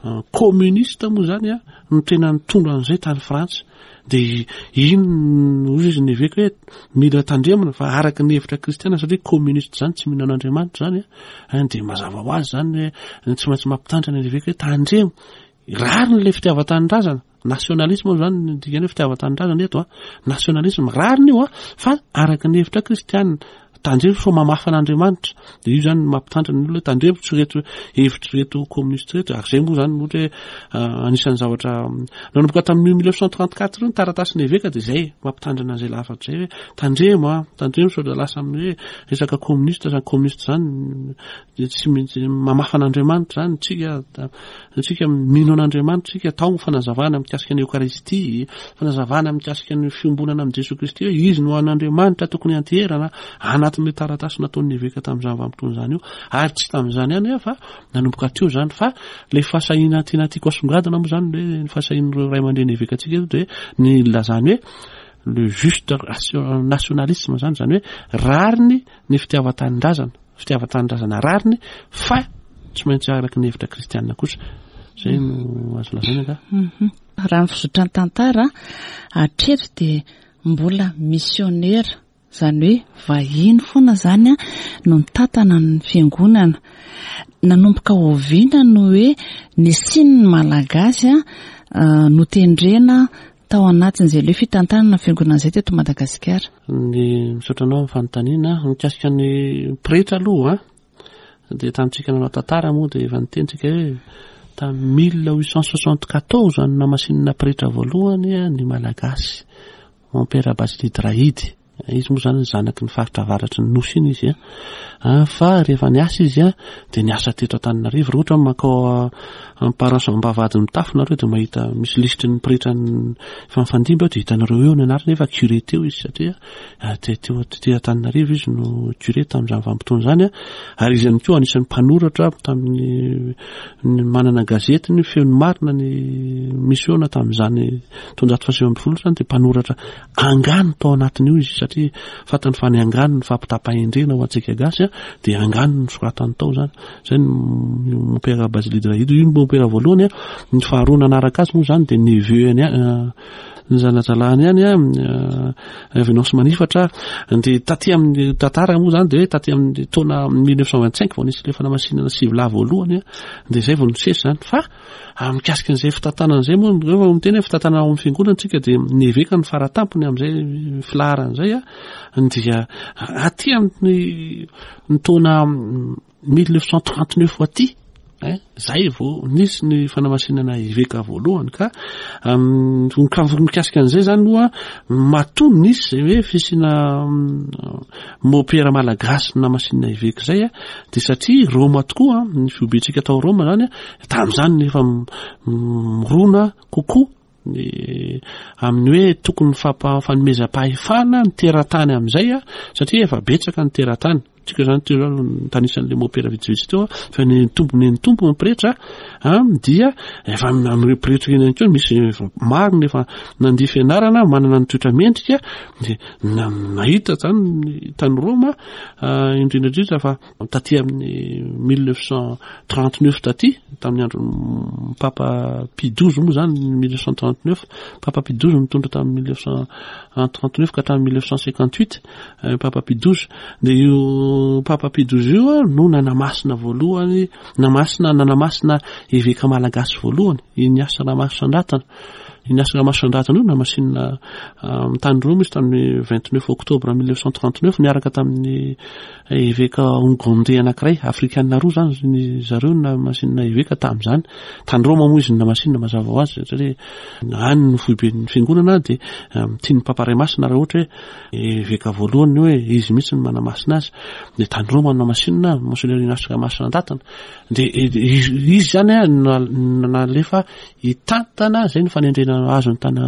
euh, communiste moa zany a no tena nitondra an'izay tany Frantsa de iny hozy izy ny eveka hoe mila tandremana fa araka ny hevitra kristianina satria communiste zany tsy mino an'Andriamanitra zany a de mazava ho azy zany hoe tsy maintsy mampitandrina ny eveka hoe tandremo rariny le fitiavan-tanindrazana Nationalisme moa zany ny dikany hoe fitiavan-tanindrazana eto a. Nationalisme, rariny io a, fa araka ny hevitra kristianina. Tandremo sao mamafa an'Andriamanitra. Dia io zany no mampitandrina ny olona hoe tandremo tsy ireto hevitra ireto communiste ireto. Ary izay moa zany ohatra hoe ah, anisan'ny zavatra nanomboka tamin'io 1934 io ny taratasin'ny eveka dia izay mampitandrina an'izay lafatra izay hoe tandremo a, tandremo sao dia lasa amin'ny hoe resaka communiste zany communiste zany dia tsy maintsy mamafa an'Andriamanitra zany tsika Isika mino an'Andriamanitra isika, atao ny fanazavana mikasika ny Eokaristia, fanazavana mikasika ny fiombonana amin'i Jesoa Kristy hoe Izy no an'Andriamanitra tokony hianteherana anatin'ilay taratasy nataon'ny eveka tamin'izany vanim-potoana izany io. Ary tsy tamin'izany ihany fa nanomboka teo izany fa ilay fahasahiana tena tiako asongadina moa izany hoe ny fahasahian'ireo ray aman-dreny evekantsika eto dia ny nilazany hoe le juste nationalisme izany, izany hoe rariny ny fitiavan-tanindrazana. Fitiavan-tanindrazana rariny fa tsy maintsy araka ny hevitra kristianina kosa. Izay no azo lazaina angaha. Mhm. Raha ny fizotran'ny tantara, hatreto dia mbola misionera. Izany hoe vahiny foana izany no nitantana ny fiangonana. Nanomboka oviana no hoe nisian'ny Malagasy notendrena tao anatin'izay ilay fitantanana ny fiangonana izay teto Madagasikara? Ny misaotra anao amin'ny fanontaniana. Mikasika ny pretra aloha dia tamintsika nanao tantara moa dia efa niteny tsika hoe tamin'ny 1874 no namasinina pretra voalohany ny Malagasy. Mon père Basily Drahidy, izy moa zany zanaky ny faritra avaratry ny nosy iny izy an, fa rehefa niasa izy an, dia niasa teto Antananarivo, raha ohatra mankao amin'ny paroisse Ambavahady mitafo nareo dia mahita misy lisitry ny pretra efa nifandimby ao dia hitanareo eo ny anarany efa curé teo izy satria teo tety Antananarivo izy no curé tamin'izany vanim-potoana izany an, ary izy ihany koa anisan'ny mpanoratra tamin'ny ny manana gazety ny feon'ny marina ny misiona tamin'izany taonjato faha 19 izany dia mpanoratra angano tao anatin'io izy satria fantany fa ny angano ny fampitam-pahendrena ho antsika gasy dia angano ny soratany tao izany. Izay ny mompera Basile Drahido io ny mompera voalohany ny faharoa nanaraka azy moa izany dia neveu-ny ny zanajalahany ihany a Venance Manifatra dia taty amin'ny tantara moa izany dia taty amin'ny taona 1925 vao nisy ilay fanamasinana sivy lahy voalohany dia izay vao nisesy izany fa mikasika an'izay fitantanana izay moa rehefa miteny hoe fitantanana ao amin'ny fiangonana tsika dia ny eveka ny faratampony amin'izay filaharana izay a dia aty amin'ny ny taona 1939 aty eh, zay vao nisy ny fanamasinana eveka voalohany ka mikasika an'izay zany moa matoa nisy zay hoe fisiana mopera malagasy namasinina eveka zay a dia satria Roma tokoa ny fihobentsika tao Roma zany a tamin'izany nefa mirona kokoa ny amin'ny hoe tokony fanomezam-pahefana ny teratany amin'izay a satria efa betsaka ny teratany tsika zany teo zany nitanisan'le mopera vitsivitsy teo fa ny tompo ny tompo ny pretra a dia efa amin'ireo pretra ireny ihany koa misy efa maro ny efa nandia fianarana manana ny toetra mendrika dia nahita zany tany Roma indrindra indrindra fa Taty amin'ny 1939 taty, tamin'ny andron'ny Papa Pie douze moa izany, 1939, Papa Pie douze nitondra tamin'ny 1939 ka hatramin'ny 1958, eh, Papa Pie douze. Dia io Papa Pie douze io no nanamasina voalohany, namasina, nanamasina eveka malagasy voalohany, Ignace Ramarosandrantana. Ignace Ramarosandrantana io namasinina tany Roma izy tamin'ny 29 octobre 1939 niaraka tamin'ny Eveka Ogondey anankiray, Afrikana roa izany ny zareo no namasinina eveka tamin'izany. Tany Roma moa izy no namasinina mazava ho azy satria any no foiben'ny fiangonana dia tian'ny Papa Ray Masina raha ohatra hoe eveka voalohany hoe izy mihitsy no manamasina azy. Dia tany Roma no namasinina Monseigneur Ignace Ramasinandatana. Dia izy izany nalefa Hitantana, izay no fanendrena azony tany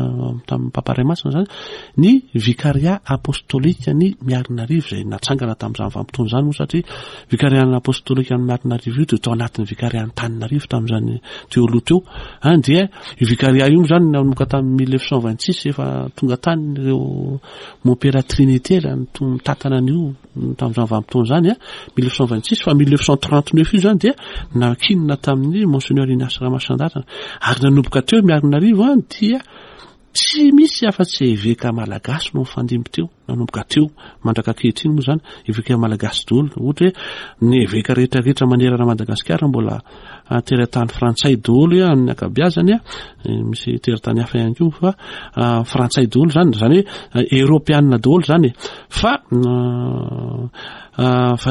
tamin'ny Papa Ray Masina izany, ny Vicariat Apostolique ny Miarinarivo izay natsangana tamin'izany vanim-potoana izany moa satria Vicariat Apostolique ny Miarinarivo io dia tao anatin'ny Vicariat Antananarivo tamin'izany teo aloha teo. An dia io Vicariat io moa izany nanomboka tamin'ny 1926 efa tonga tany ireo Mompera Trinité raha mitantana an'io tamin'izany vanim-potoana izany a, 1926 fa 1939 io izany dia nankinina tamin'ny Monseigneur Ignace Ramasandarana ary nanomboka teo Miarinarivo a dia tsy misy afa-tsy eveka malagasy no nifandimby teo nanomboka teo mandraka ankehitriny moa izany eveka malagasy daholo ohatra hoe ny eveka rehetra rehetra manerana Madagasikara mbola teratany frantsay daholo amin'ny ankabeazany a misy teratany hafa ihany koa fa frantsay daholo izany izany hoe eoropeanina daholo izany e Fa fa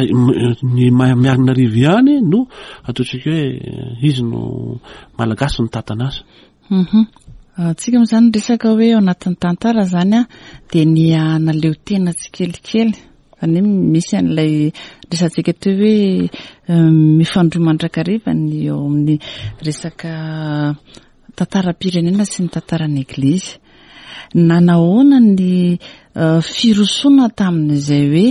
ny Miarinarivo ihany no ataontsika hoe izy no Malagasy mitantana azy. Mhm. Tsika moa izany resaka hoe ao anatin'ny tantara izany a dia ny hanaleo tena tsikelikely. Izany hoe misy an'ilay resatsika teo hoe mifandrohy mandrakariva ny eo amin'ny resaka tantaram-pirenena sy ny tantaran'ny Eglizy. Nanahoana ny firosoana tamin'izay hoe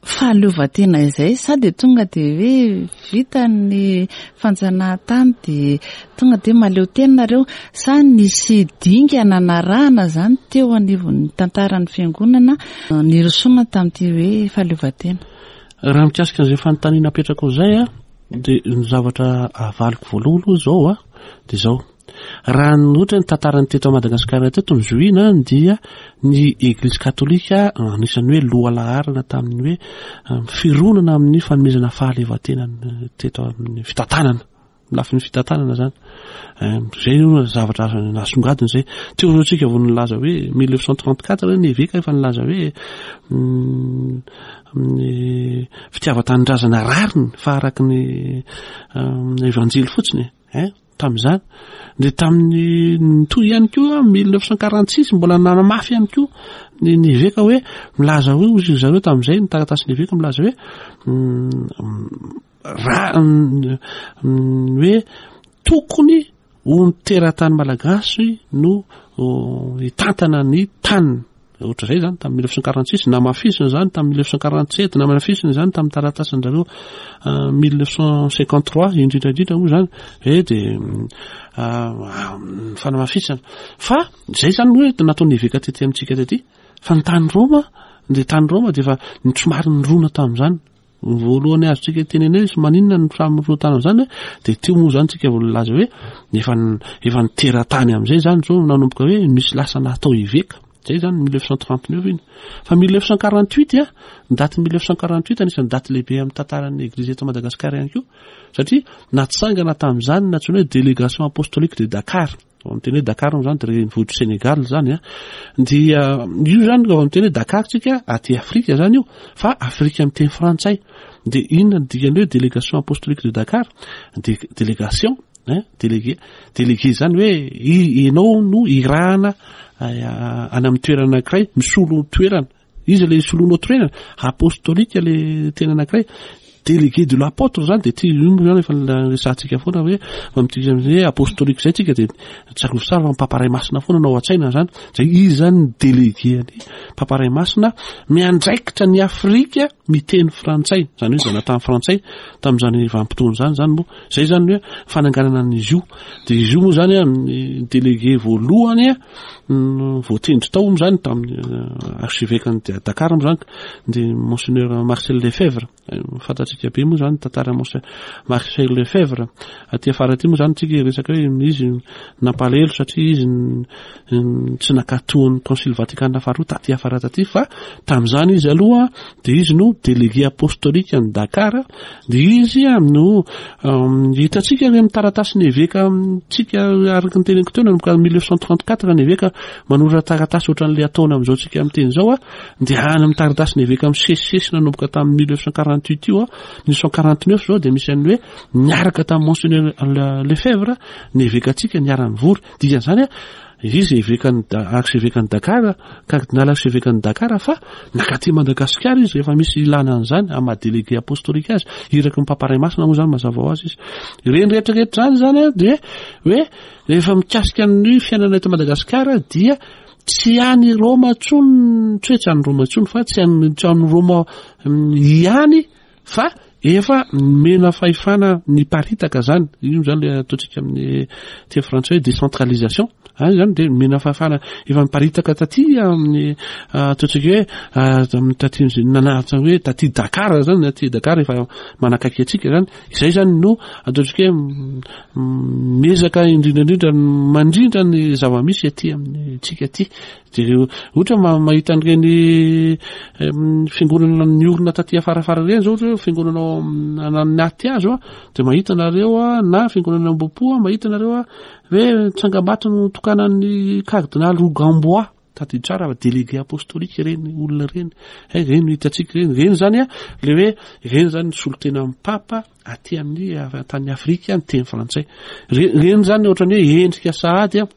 fahaleovantena izay sa dia tonga dia hoe vita ny fanjanahantany dia tonga dia mahaleo tena nareo sa nisy dingana narahana izany teo anivon'ny tantaran'ny fiangonana nirosoana tamin'ity hoe fahaleovantena? Raha mikasika an'izay fanontaniana apetrakao izay dia ny zavatra avaliko voalohany aloha izao dia izao. Raha ny ohatra ny tantaran'ny teto Madagasikara teto no zohiana dia ny Eglizy Katolika anisan'ny hoe lohalaharana tamin'ny hoe fironana amin'ny fanomezana fahaleovantena teto amin'ny fitantanana. Lafiny fitantanana zany. Zay no zavatra azo nasongadina zay. Teo zao tsika vao nilaza hoe 1934 ny eveka efa nilaza hoe ny fitiavan-tanindrazana rariny fa araka ny evanjely fotsiny e. Tamin'izany. Dia tamin'ny nitohy ihany koa 1946 mbola nanamafy ihany koa ny ny eveka hoe milaza hoe hoy zareo tamin'izay ny taratasin'ny eveka milaza hoe raha ny hoe tokony ho ny teratany malagasy no hitantana ny taniny ohatr'izay zany tamin'ny 1946 namafisiny zany tamin'ny 1947 namafisiny zany tamin'ny taratasin-drareo 1953 indrindra indrindra moa zany hoe de fanamafisana fa zay zany hoe nataon'ny eveka tety amintsika tety fa ny tany Roma de tany Roma de efa somary nirona tamin'izany Ny voalohany azontsika tenenena hoe maninona no samy roa tanana izany dia teo moa izany tsika vao nilaza hoe efa efa niteratany amin'izay izany izao nanomboka hoe misy lasa natao eveka zay izany 1939 iny fa 1948 a ny daty 1948 anisan'ny daty lehibe amin'ny tantaran'ny eglizy eto Madagasikara ihany koa satria natsangana tamin'izany nantsoina hoe délégation apostolique de Dakar Vao miteny hoe Dakar moa zany dia renivohitr'i Sénégal zany a. Dia io zany vao miteny hoe Dakar tsika aty Afrika zany io fa Afrika miteny frantsay. Dia inona ny dikan'ny hoe délégation apostolique de Dakar? Dia délégation hein, délégué, délégué zany hoe ianao no irahana any amin'ny toerana anankiray misolo toerana. Iza le soloanao toerana? Apostolique le tena anankiray. Délégué de l'apôtre zany de ty io moa zany efa resahantsika foana hoe amintsika hoe apostolique zay tsika de tsarovy tsara fa ny Papa Ray Masina foana no ao an-tsaina zany. Zay izy zany ny délégué an'i Papa Ray Masina miandraikitra ny Afrika miteny frantsay, zany hoe zanatany frantsay tamin'izany vanim-potoana izany zany moa. Zay zany hoe fananganana an'izy io. De izy io moa zany ny délégué voalohany voatendry tao moa zany tamin'ny euh, archevêque-n'i Dakar moa zany dia monseigneur Marcel Lefebvre fantatsika be moa zany tantara monseigneur Marcel Lefebvre aty afara aty moa zany tsika resaka hoe izy nampalahelo satria izy tsy nankatoan'ny concile Vatican faharoa taty afara taty fa tamin'izany izy aloha dia izy no délégué apostolique an'i Dakar dia izy no hitantsika any amin'ny taratasin'ny eveka amintsika araka ny teneniko teo nanomboka 1934 ny eveka manoratra taratasy ohatran'ilay ataona amin'izao tsika miteny izao a dia any amin'ny taratasin'ny eveka misesisesy nanomboka tamin'ny 1948 io a 1949 izao dia misy an'ny hoe niaraka tamin'ny monseigneur Lefebvre ny evekantsika niara-nivory dikan'izany a Izy evekan'i archevekan'i Dakar, cardinal archevekan'i Dakar fa nakaty Madagasikara izy rehefa misy ilana an'izany amin'ny maha délégué apostolique azy, iraky ny Papa Ray Masina moa izany mazava ho azy izy. Ireny rehetra rehetra izany izany dia hoe rehefa mikasika ny fiainana eto Madagasikara dia tsy any Roma intsony, tsy hoe tsy any Roma intsony fa tsy any tsy any Roma ihany Fa efa nomena fahefana niparitaka zany, io zany le ataontsika amin'ny teny frantsay hoe décentralisation, any zany dia nomena fahefana efa niparitaka taty amin'ny ataontsika hoe amin'ny taty nanaritra hoe taty Dakar zany, aty Dakar efa manakaiky antsika zany, izay zany no ataontsika hoe miezaka indrindra indrindra mandrindra ny zava-misy aty amintsika aty. Jereo, ohatra mahita an'ireny fiangonana niorina taty afarafara ireny zao, ohatra hoe fiangonana ao anaty hazo a, dia mahita nareo a, na fiangonana Ambohipo a, mahita nareo a, hoe tsangambato notokanan'ny cardinal Rugambwa, tadidio tsara fa délégué apostolique ireny olona ireny, hay ireny no hitantsika ireny, ireny zany a, le hoe ireny zany ny solontenan'ny papa aty amin'ny tany Afrika miteny frantsay, ireny zany ohatran'ny hoe endrika sahady a,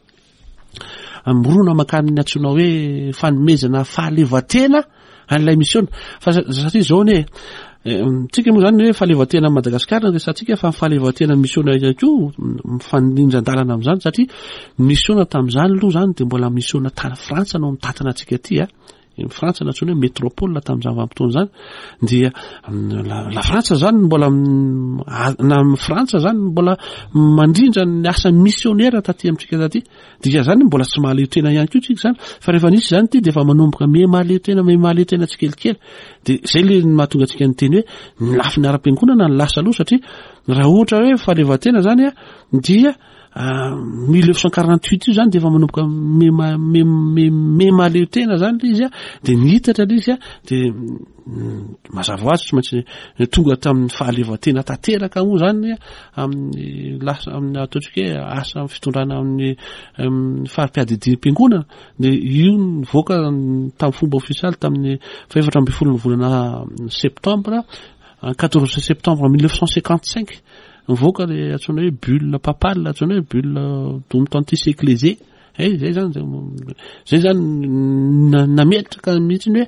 Mirona mankany amin'ny antsoina hoe fanomezana fahaleovantena an'ilay misiona. Fa satria izao anie, tsika moa zany hoe fahaleovantena Madagasikara no resahantsika fa ny fahaleovantena misiona ihany koa mifanindran-dalana amin'izany satria misiona tamin'izany aloha izany dia mbola misiona tany Frantsa no mitantana antsika aty a. Ny Frantsa nantsoina hoe métropole tamin'izany vanim-potoana izany dia la Frantsa zany mbola na Frantsa zany mbola mandrindra ny asa missionnaire taty amintsika taty dika zany mbola tsy mahaleo tena ihany koa tsika zany fa rehefa nisy zany ity dia efa manomboka miha mahaleo tena miha mahaleo tena tsikelikely dia zay le mahatonga antsika niteny hoe ny lafiny ara-piangonana ny lasa aloha satria raha ohatra hoe fahaleovantena zany a dia. 1948 io zany dia efa manomboka me-me-me-me-mahaleo tena zany le izy a, dia nihitatra le izy a, dia mazava ho azy tsy maintsy tonga tamin'ny fahaleovantena tanteraka moa zany amin'ny lasa amin'ny ataontsika hoe asa amin'ny fitondrana amin'ny fari-piadidiam-piangonana, dia io nivoaka tamin'ny fomba ofisialy tamin'ny fahefatra ambin'ny folon'ny volana septambra, 14 septembre 1955. Mivoaka le antsoina hoe bulle papale, antsoina hoe bulle dum tantis ecclesiae. Eh, zay zany, zay zany nametraka mihitsy ny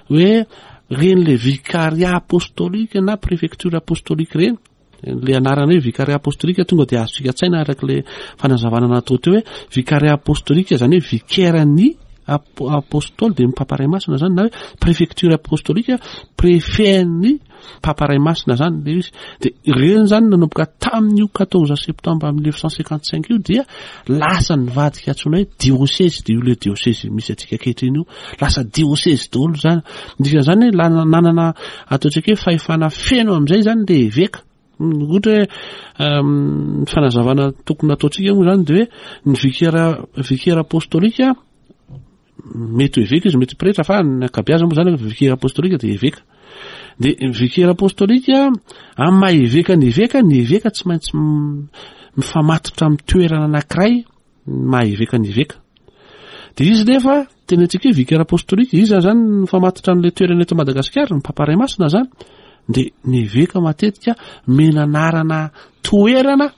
hoe hoe reny le vicariat apostolique na préfecture apostolique reny, le anarana hoe vicariat apostolique tonga dia azontsika an-tsaina araka le fanazavana natao teo hoe vicariat apostolique zany hoe vicaire ny apostoly dia ny papa ray masina zany na hoe préfecture apostolique préfet ny Papa Ray Masina zany le izy. De ireny zany nanomboka tamin'io 14 septembre 1955 io dia lasa nivadika antsoina hoe diosezy, de io le diosezy misy antsika ankehitriny io. Lasa diosezy daholo zany. Ny dikan'izany hoe nanana ataontsika hoe fahefana feno amin'izay zany le eveka. Ohatra hoe ny fanazavana tokony nataontsika moa zany de hoe ny vicaire vicaire apostolika mety ho eveka izy, mety ho pretra fa ny ankabeazany moa zany vicaire apostolika dia eveka. Dia ny vicaire apostolika amin'ny maha eveka ny eveka, ny eveka tsy maintsy mifamatotra amin'ny toerana anankiray ny maha eveka ny eveka. Dia izy nefa tena antsika hoe vicaire apostolika, iza zany mifamatotra amin'ilay toerana eto Madagasikara, ny Papa Ray Masina zany. Dia ny eveka matetika mena anarana toerana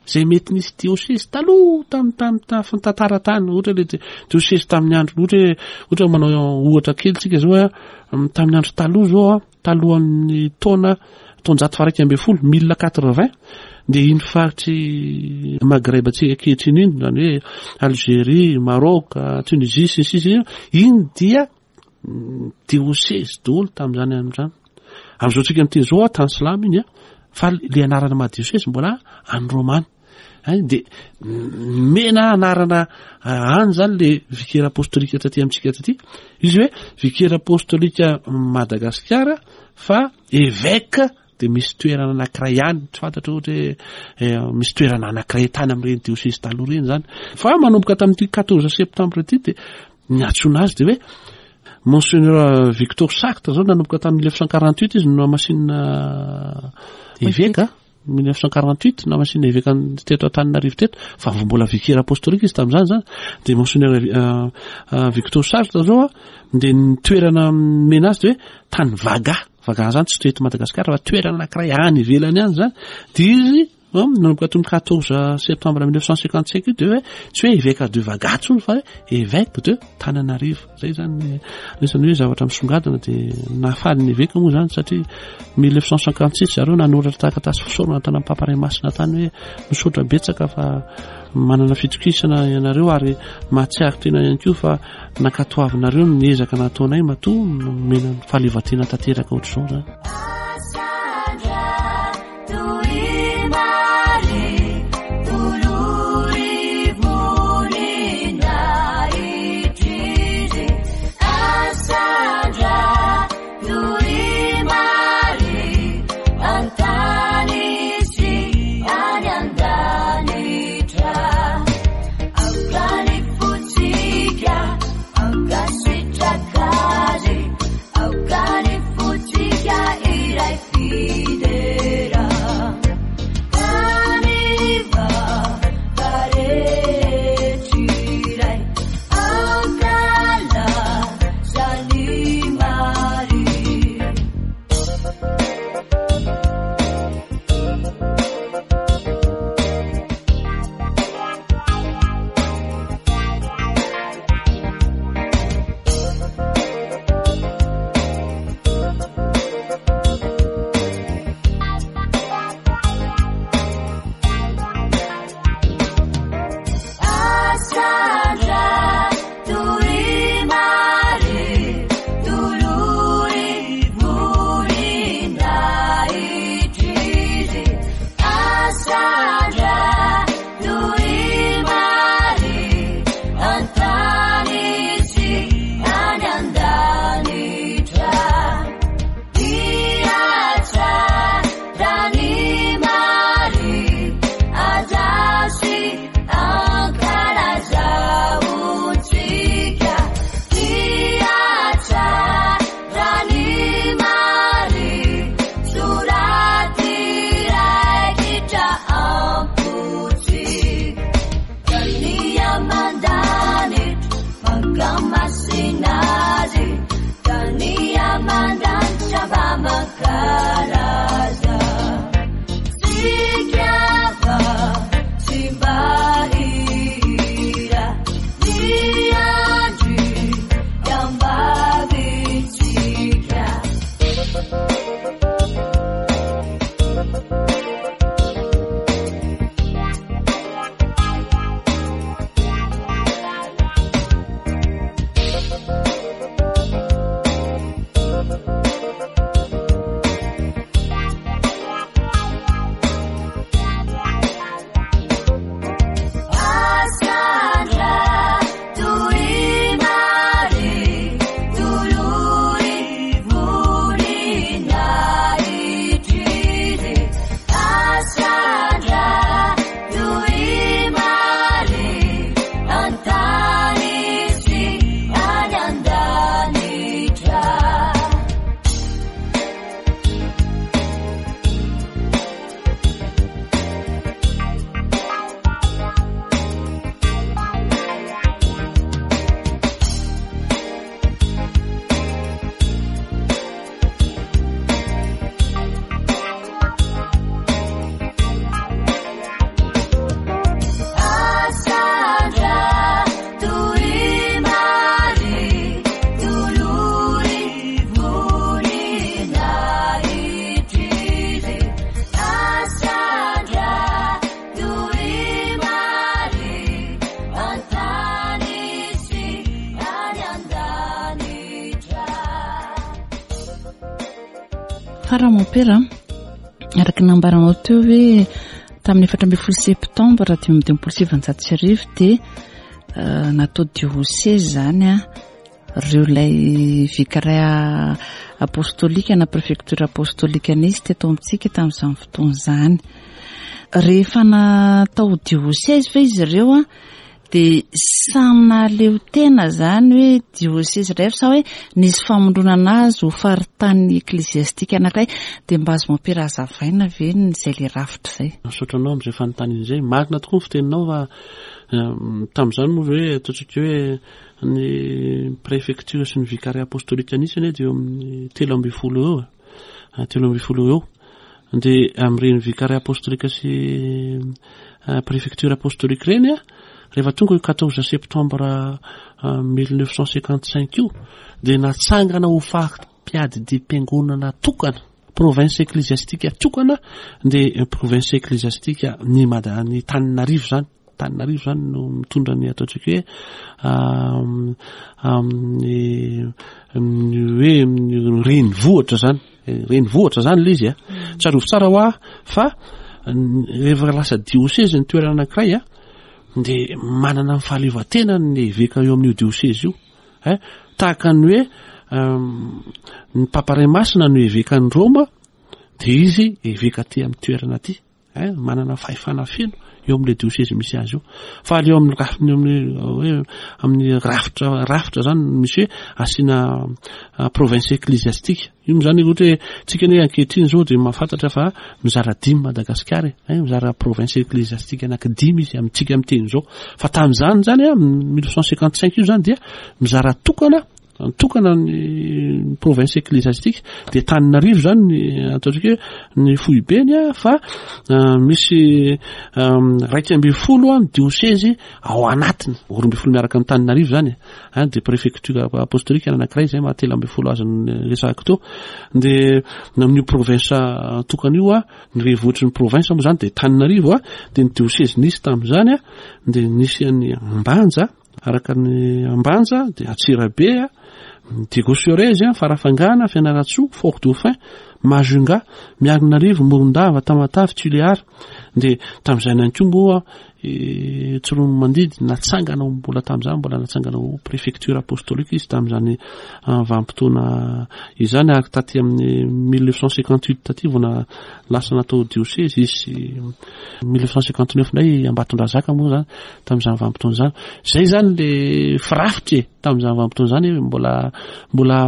Izay mety nisy diosezy taloha tamin'ny tany tafin'ny tantara tany, ohatra le diosezy tamin'ny andro, ohatra hoe, ohatra hoe manao ohatra kely tsika zao a, tamin'ny andro taloha zao a, talohan'ny taona taonjato faha-11, 1080, dia iny faritry Maghreb antsika ankehitriny iny, izany hoe Algérie, Maroc, Tunisie sy ny sisa iny, iny dia diosezy daholo tamin'izany andro izany. Amin'izao tsika miteny izao a, tany silamo iny a, fa le anarana maha diosezy mbola any Romana. Hay dia mena anarana any zany le vicaire apostolika taty amintsika taty. Izy hoe vicaire apostolika Madagasikara fa évêque dia misy toerana anankiray ihany, tsy fantatro ohatra hoe eh, misy toerana anankiray tany amin'ireny diosezy taloha ireny zany. Fa manomboka tamin'ity 14 septembre ity dia ny antsoina azy dia hoe Monseigneur Victor Sartre zao nanomboka tamin'ny 1948 izy no namasinina eveka. 1948 namasinina eveka teto Antananarivo teto fa vao mbola vicaire apostolique izy tamin'izany zany dia Monseigneur euh, euh, Victor Sartre zao dia ny toerana nomena azy dia hoe tany Vaga Vaga zany tsy eto Madagasikara fa toerana anankiray any ivelany any zany dia izy nanomboka tamin'ny 14 septembre 1955 io dia hoe tsy hoe évêque de Vaga intsony fa hoe évêque de Tananarivo zay zany anisan'ny hoe zavatra misongadina dia nahafaly ny eveka moa zany satria 1956 zareo nanoratra taratasy fisaorana tany amin'ny Papa Ray Masina tany hoe misaotra betsaka fa manana fitokisana ianareo ary mahatsiaro tena ihany koa fa nankatoavinareo ny ezaka nataonay matoa nomena ny fahaleovantena tanteraka ohatr'izao zany. Fa raha mompera, araka ny nambaranao teo hoe tamin'ny 14 septambra 1955 dia eh, natao diocèse izany a ireo ilay vicaire apostolika na préfecture apostolika nisy teto amintsika tamin'izany fotoana izany. Rehefa natao diocèse ve izy ireo a dia samy nahaleo tena izany hoe diocèse iray sa hoe nisy famondronana azy ho faritany ecclésiastique anankiray dia mba azo mampira hazavaina ve ny izay le rafitra izay? Misaotra anao amin'izay fanontaniana izay. Marina tokoa ny fiteninao fa tamin'izany moa hoe ataontsika hoe ny préfecture sy ny vicariat apostolique nisy anie dia eo amin'ny 13 eo e. 13 eo. Dia amin'ireny vicariat apostolique sy préfecture apostolique ireny a, rehefa tonga io 14 septembre 1955 io dia natsangana ho fari-piadidiam-piangonana tokana, province ecclésiastique tokana, dia province ecclésiastique ny Mada-, ny Tananarivo izany. Antananarivo izany no mitondra ny ataontsika hoe amin'ny hoe renivohitra izany, renivohitra izany ilay izy a. Tsarovy tsara hoa fa rehefa lasa diosezy ny toerana anankiray a, dia manana ny fahaleovantenany ny eveka eo amin'io diosezy io. Eh, tahaka ny hoe ny Papa Ray Masina no evekan'i Roma, dia izy eveka aty amin'ny toerana aty. Hein, manana fahefana feno eo amin'ilay diosezy misy azy io. Fa aleo amin'ny rafiny amin'ny hoe amin'ny rafitra rafitra zany misy hoe asiana ah, province ecclésiastique. Io moa zany ohatra hoe tsika anie ankehitriny zao dia mahafantatra fa mizara dimy Madagasikara e. Hein, mizara province ecclésiastique anaky dimy izy amintsika miteny zao. Fa tamin'izany zany a 1955 io zany dia mizara tokana Nitokana ny province ecclésiastique dia Antananarivo zany ny ataontsika hoe ny foibeny a, fa misy 11 ny diosezy ao anatiny, 12 miaraka amin'ny Antananarivo zany e, dia préfecture apostolique anankiray zay maha 13 azy ny resahako teo, dia amin'io province tokana io a, ny renivohitry ny province moa zany dia Antananarivo a, dia ny diosezy nisy tamin'izany a, dia nisy an'i Ambanja, Araka ny Ambanja dia Antsirabe, Diego Suarez, Farafangana, Fianarantsoa, Fort Dauphin, Majunga, Miarinarivo, Morondava, Tamatave, Tuléar. Dia tamin'izay ihany koa moa Tsiroanomandidy natsangana ho mbola tamin'izany mbola natsangana ho préfecture apostolique izy tamin'izany vanim-potoana izany ary taty amin'ny 1958 taty vao lasa natao diocèse izy 1959 indray Ambatondrazaka moa zany tamin'izany vanim-potoana izany. Izay izany le firafitra e, tamin'izany vanim-potoana izany mbola mbola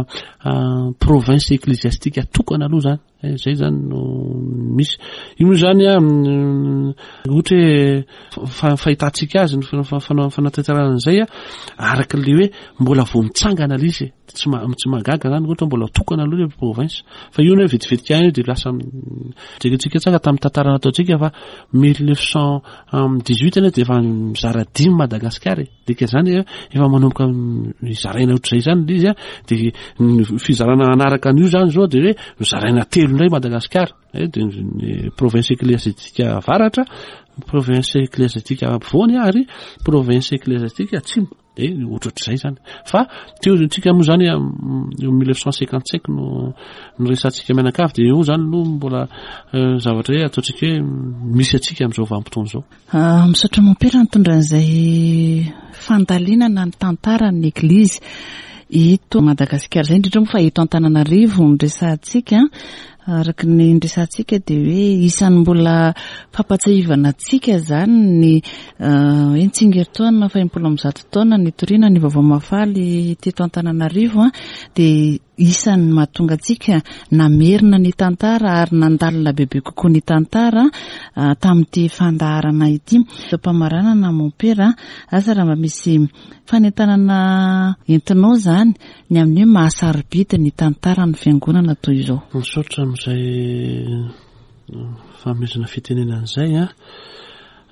province ecclésiastique tokana aloha izany. Eh, izay izany no misy. Io moa izany a ohatra hoe fahitantsika azy ny fanatanterahana an'izay a, araka ilay hoe mbola vao mitsangana ilay izy e. Tsy tsy mahagaga izany ohatra mbola tokana aloha ilay province. Fa io anie vetivety ihany io dia lasa jerentsika tsara tamin'ny tantara nataontsika fa 1918 anie dia efa mizara dimy Madagasikara e. Dika izany efa manomboka mizaraina ohatr'izay izany ilay izy a, dia ny fizarana hanaraka an'io izany izao dia hoe mizaraina telo indray Madagasikara. Eh, dia ny province ecclésiastique avaratra, province ecclésiastique afovoany ary province ecclésiastique atsimo. Dia ohatrohatr'izay izany. Fa teo tsika moa izany eo 1955 no noresahantsika mianakavy dia eo izany no mbola eh, zavatra hoe ataontsika hoe misy antsika amin'izao vanim-potoana izao. Ah, misaotra mompera nitondra an'izay fandalinana ny tantaran'ny Eglizy eto Madagasikara izay, indrindra moa fa eto Antananarivo no resahantsika. Araka ny niresahantsika dia hoe isan'ny mbola fampatsiahivana antsika izany ny hoe ny tsingerin-taona faha 160 taona nitoriana ny vaovao mahafaly teto Antananarivo dia isan'ny mahatonga antsika namerina ny tantara ary nandalina bebe kokoa ny tantara tamin'ity fandaharana ity. Am-pamaranana mompera, asa raha mba misy fanentanana entinao izany ny amin'ny hoe maha-sarobidy ny tantaran'ny fiangonana toy izao. Misaotra amin'izay fanomezana fitenenana izay an.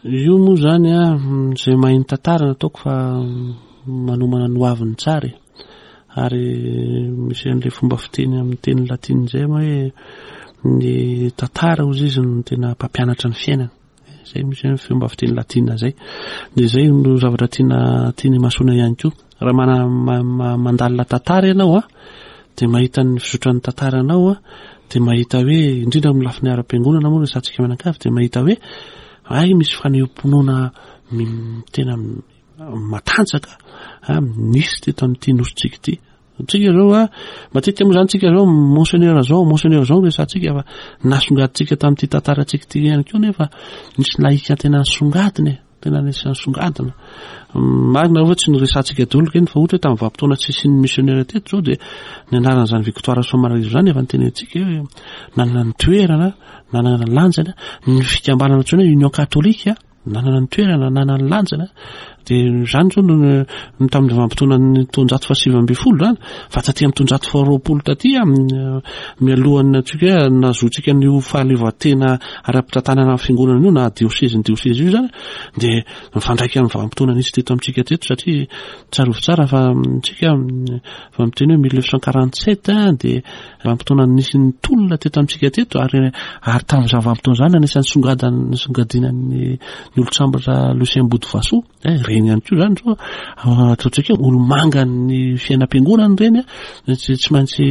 Io moa izany an, izay mahay ny tantara no ataoko fa manomana ny hoaviny tsara e. Ary misy an'ilay fomba fiteny amin'ny teny latina izay hoe ny tantara hozy izy no tena mpampianatra ny fiainana. Izay misy ny fomba fiteny latina izay. Dia izay no zavatra tiana tiana imasoana ihany koa. Raha mana, ma, ma, mandalina tantara ianao a, dia mahita ny fizotran'ny tantaranao a, dia mahita hoe indrindra amin'ny lafiny ara-piangonana moa resahantsika mianakavy dia mahita hoe hay misy fanehoam-pinoana tena matanjaka nisy teto amin'ity nosintsika ity. Tsika zao a, matetika moa zany tsika zao monseigneur zao, monseigneur zao resahantsika fa nasongadintsika tamin'ity tantarantsika ity ihany koa nefa nisy laïka tena nisongadina e. Tena anisan'ny songadina. Marina aloha fa tsy noresahantsika daholo ireny fa ohatra hoe tamin'ny vanim-potoana tsy nisian'ny missionnaire teto izao dia ny anaran'izany Victoire Rasoamanarivo izany efa notenenintsika hoe nanana ny toerana, nanana ny lanjany, ny fikambanana antsoina hoe Union Catholique nanana ny toerana, nanana ny lanjany. Dia izany izao no no tamin'ny vanim-potoanan'ny taonjato faha-19 izany, fa taty amin'ny taonjato faha-20 taty mialohan'ny antsika hoe nahazoantsika an'io fahaleovantena ara-pitantanana ny fiangonana io na diosezy ny diosezy io izany dia mifandraika amin'ny vanim-potoana nisy teto amintsika teto satria tsarovy tsara fa tsika fa miteny hoe 1947 dia vanim-potoana nisy ny tolona teto amintsika teto ary ary tamin'izany vanim-potoana izany anisan'ny songadana nisongadinan'ny ny olon-tsambatra Lucien Botovasoa eh, ireny ihany koa izany zao ah, ataontsika hoe olo-mangan'ny fiainam-piangonana ireny ah, tsy tsy maintsy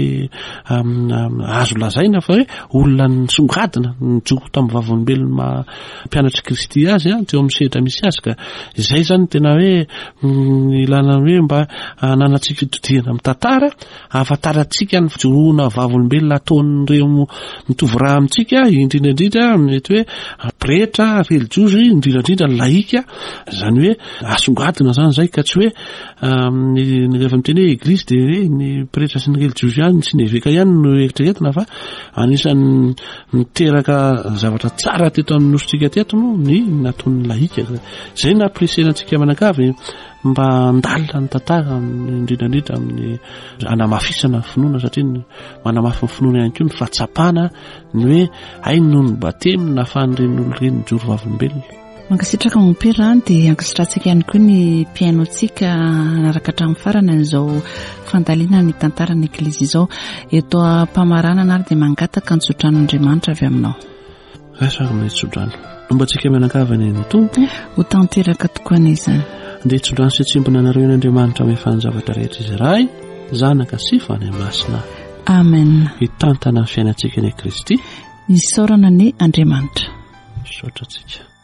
azo lazaina fa hoe olona nisongadina nijoro tamin'ny vavolombelona maha mpianatr'i Kristy azy ah, teo amin'ny sehatra misy azy ka izay izany tena hoe mm, ilana hoe mba hananantsika fitodihana amin'ny tantara Ahafantarantsika ny fijoroana vavolombelona ataon'ireo mitovy rà amintsika, indrindra indrindra mety hoe pretra, relijiozy, indrindra indrindra ny lahika, izany hoe asongadina izany izay ka tsy hoe ny rehefa miteny hoe eglizy dia hoe ny pretra sy ny relijiozy ihany sy ny eveka ihany no eritreretina fa anisan'ny niteraka zavatra tsara teto amin'ny nosintsika teto moa ny nataon'ny lahika. Izay no nampirisihana antsika manakavy mba handalina ny tantara indrindra indrindra amin'ny hanamafisana ny finoana satria ny manamafy ny finoana ihany koa ny fahatsapana ny hoe hay noho ny batemy nahafahan'ireny olona ireny nijoro vavolombelona. Mankasitraka mompera dia ankasitrahantsika ihany koa ny mpihaino antsika hanaraka hatramin'ny farany an'izao fandalinana ny tantaran'ny Eglizy izao. Eto am-pamaranana ary dia mangataka ny tsotran'Andriamanitra avy aminao. Raiso ary ny tsodrano. Homba antsika mianakavy anie ny Tompo. Ho tanteraka tokoa anie izany. Andeha tsodrano sy hitsimbina anareo eny Andriamanitra mahefa ny zavatra rehetra Izy Ray, Zanaka sy Fanahy Masina. Amen. Hitantana ny fiainantsika anie Kristy. Isaorana anie Andriamanitra. Misaotra antsika.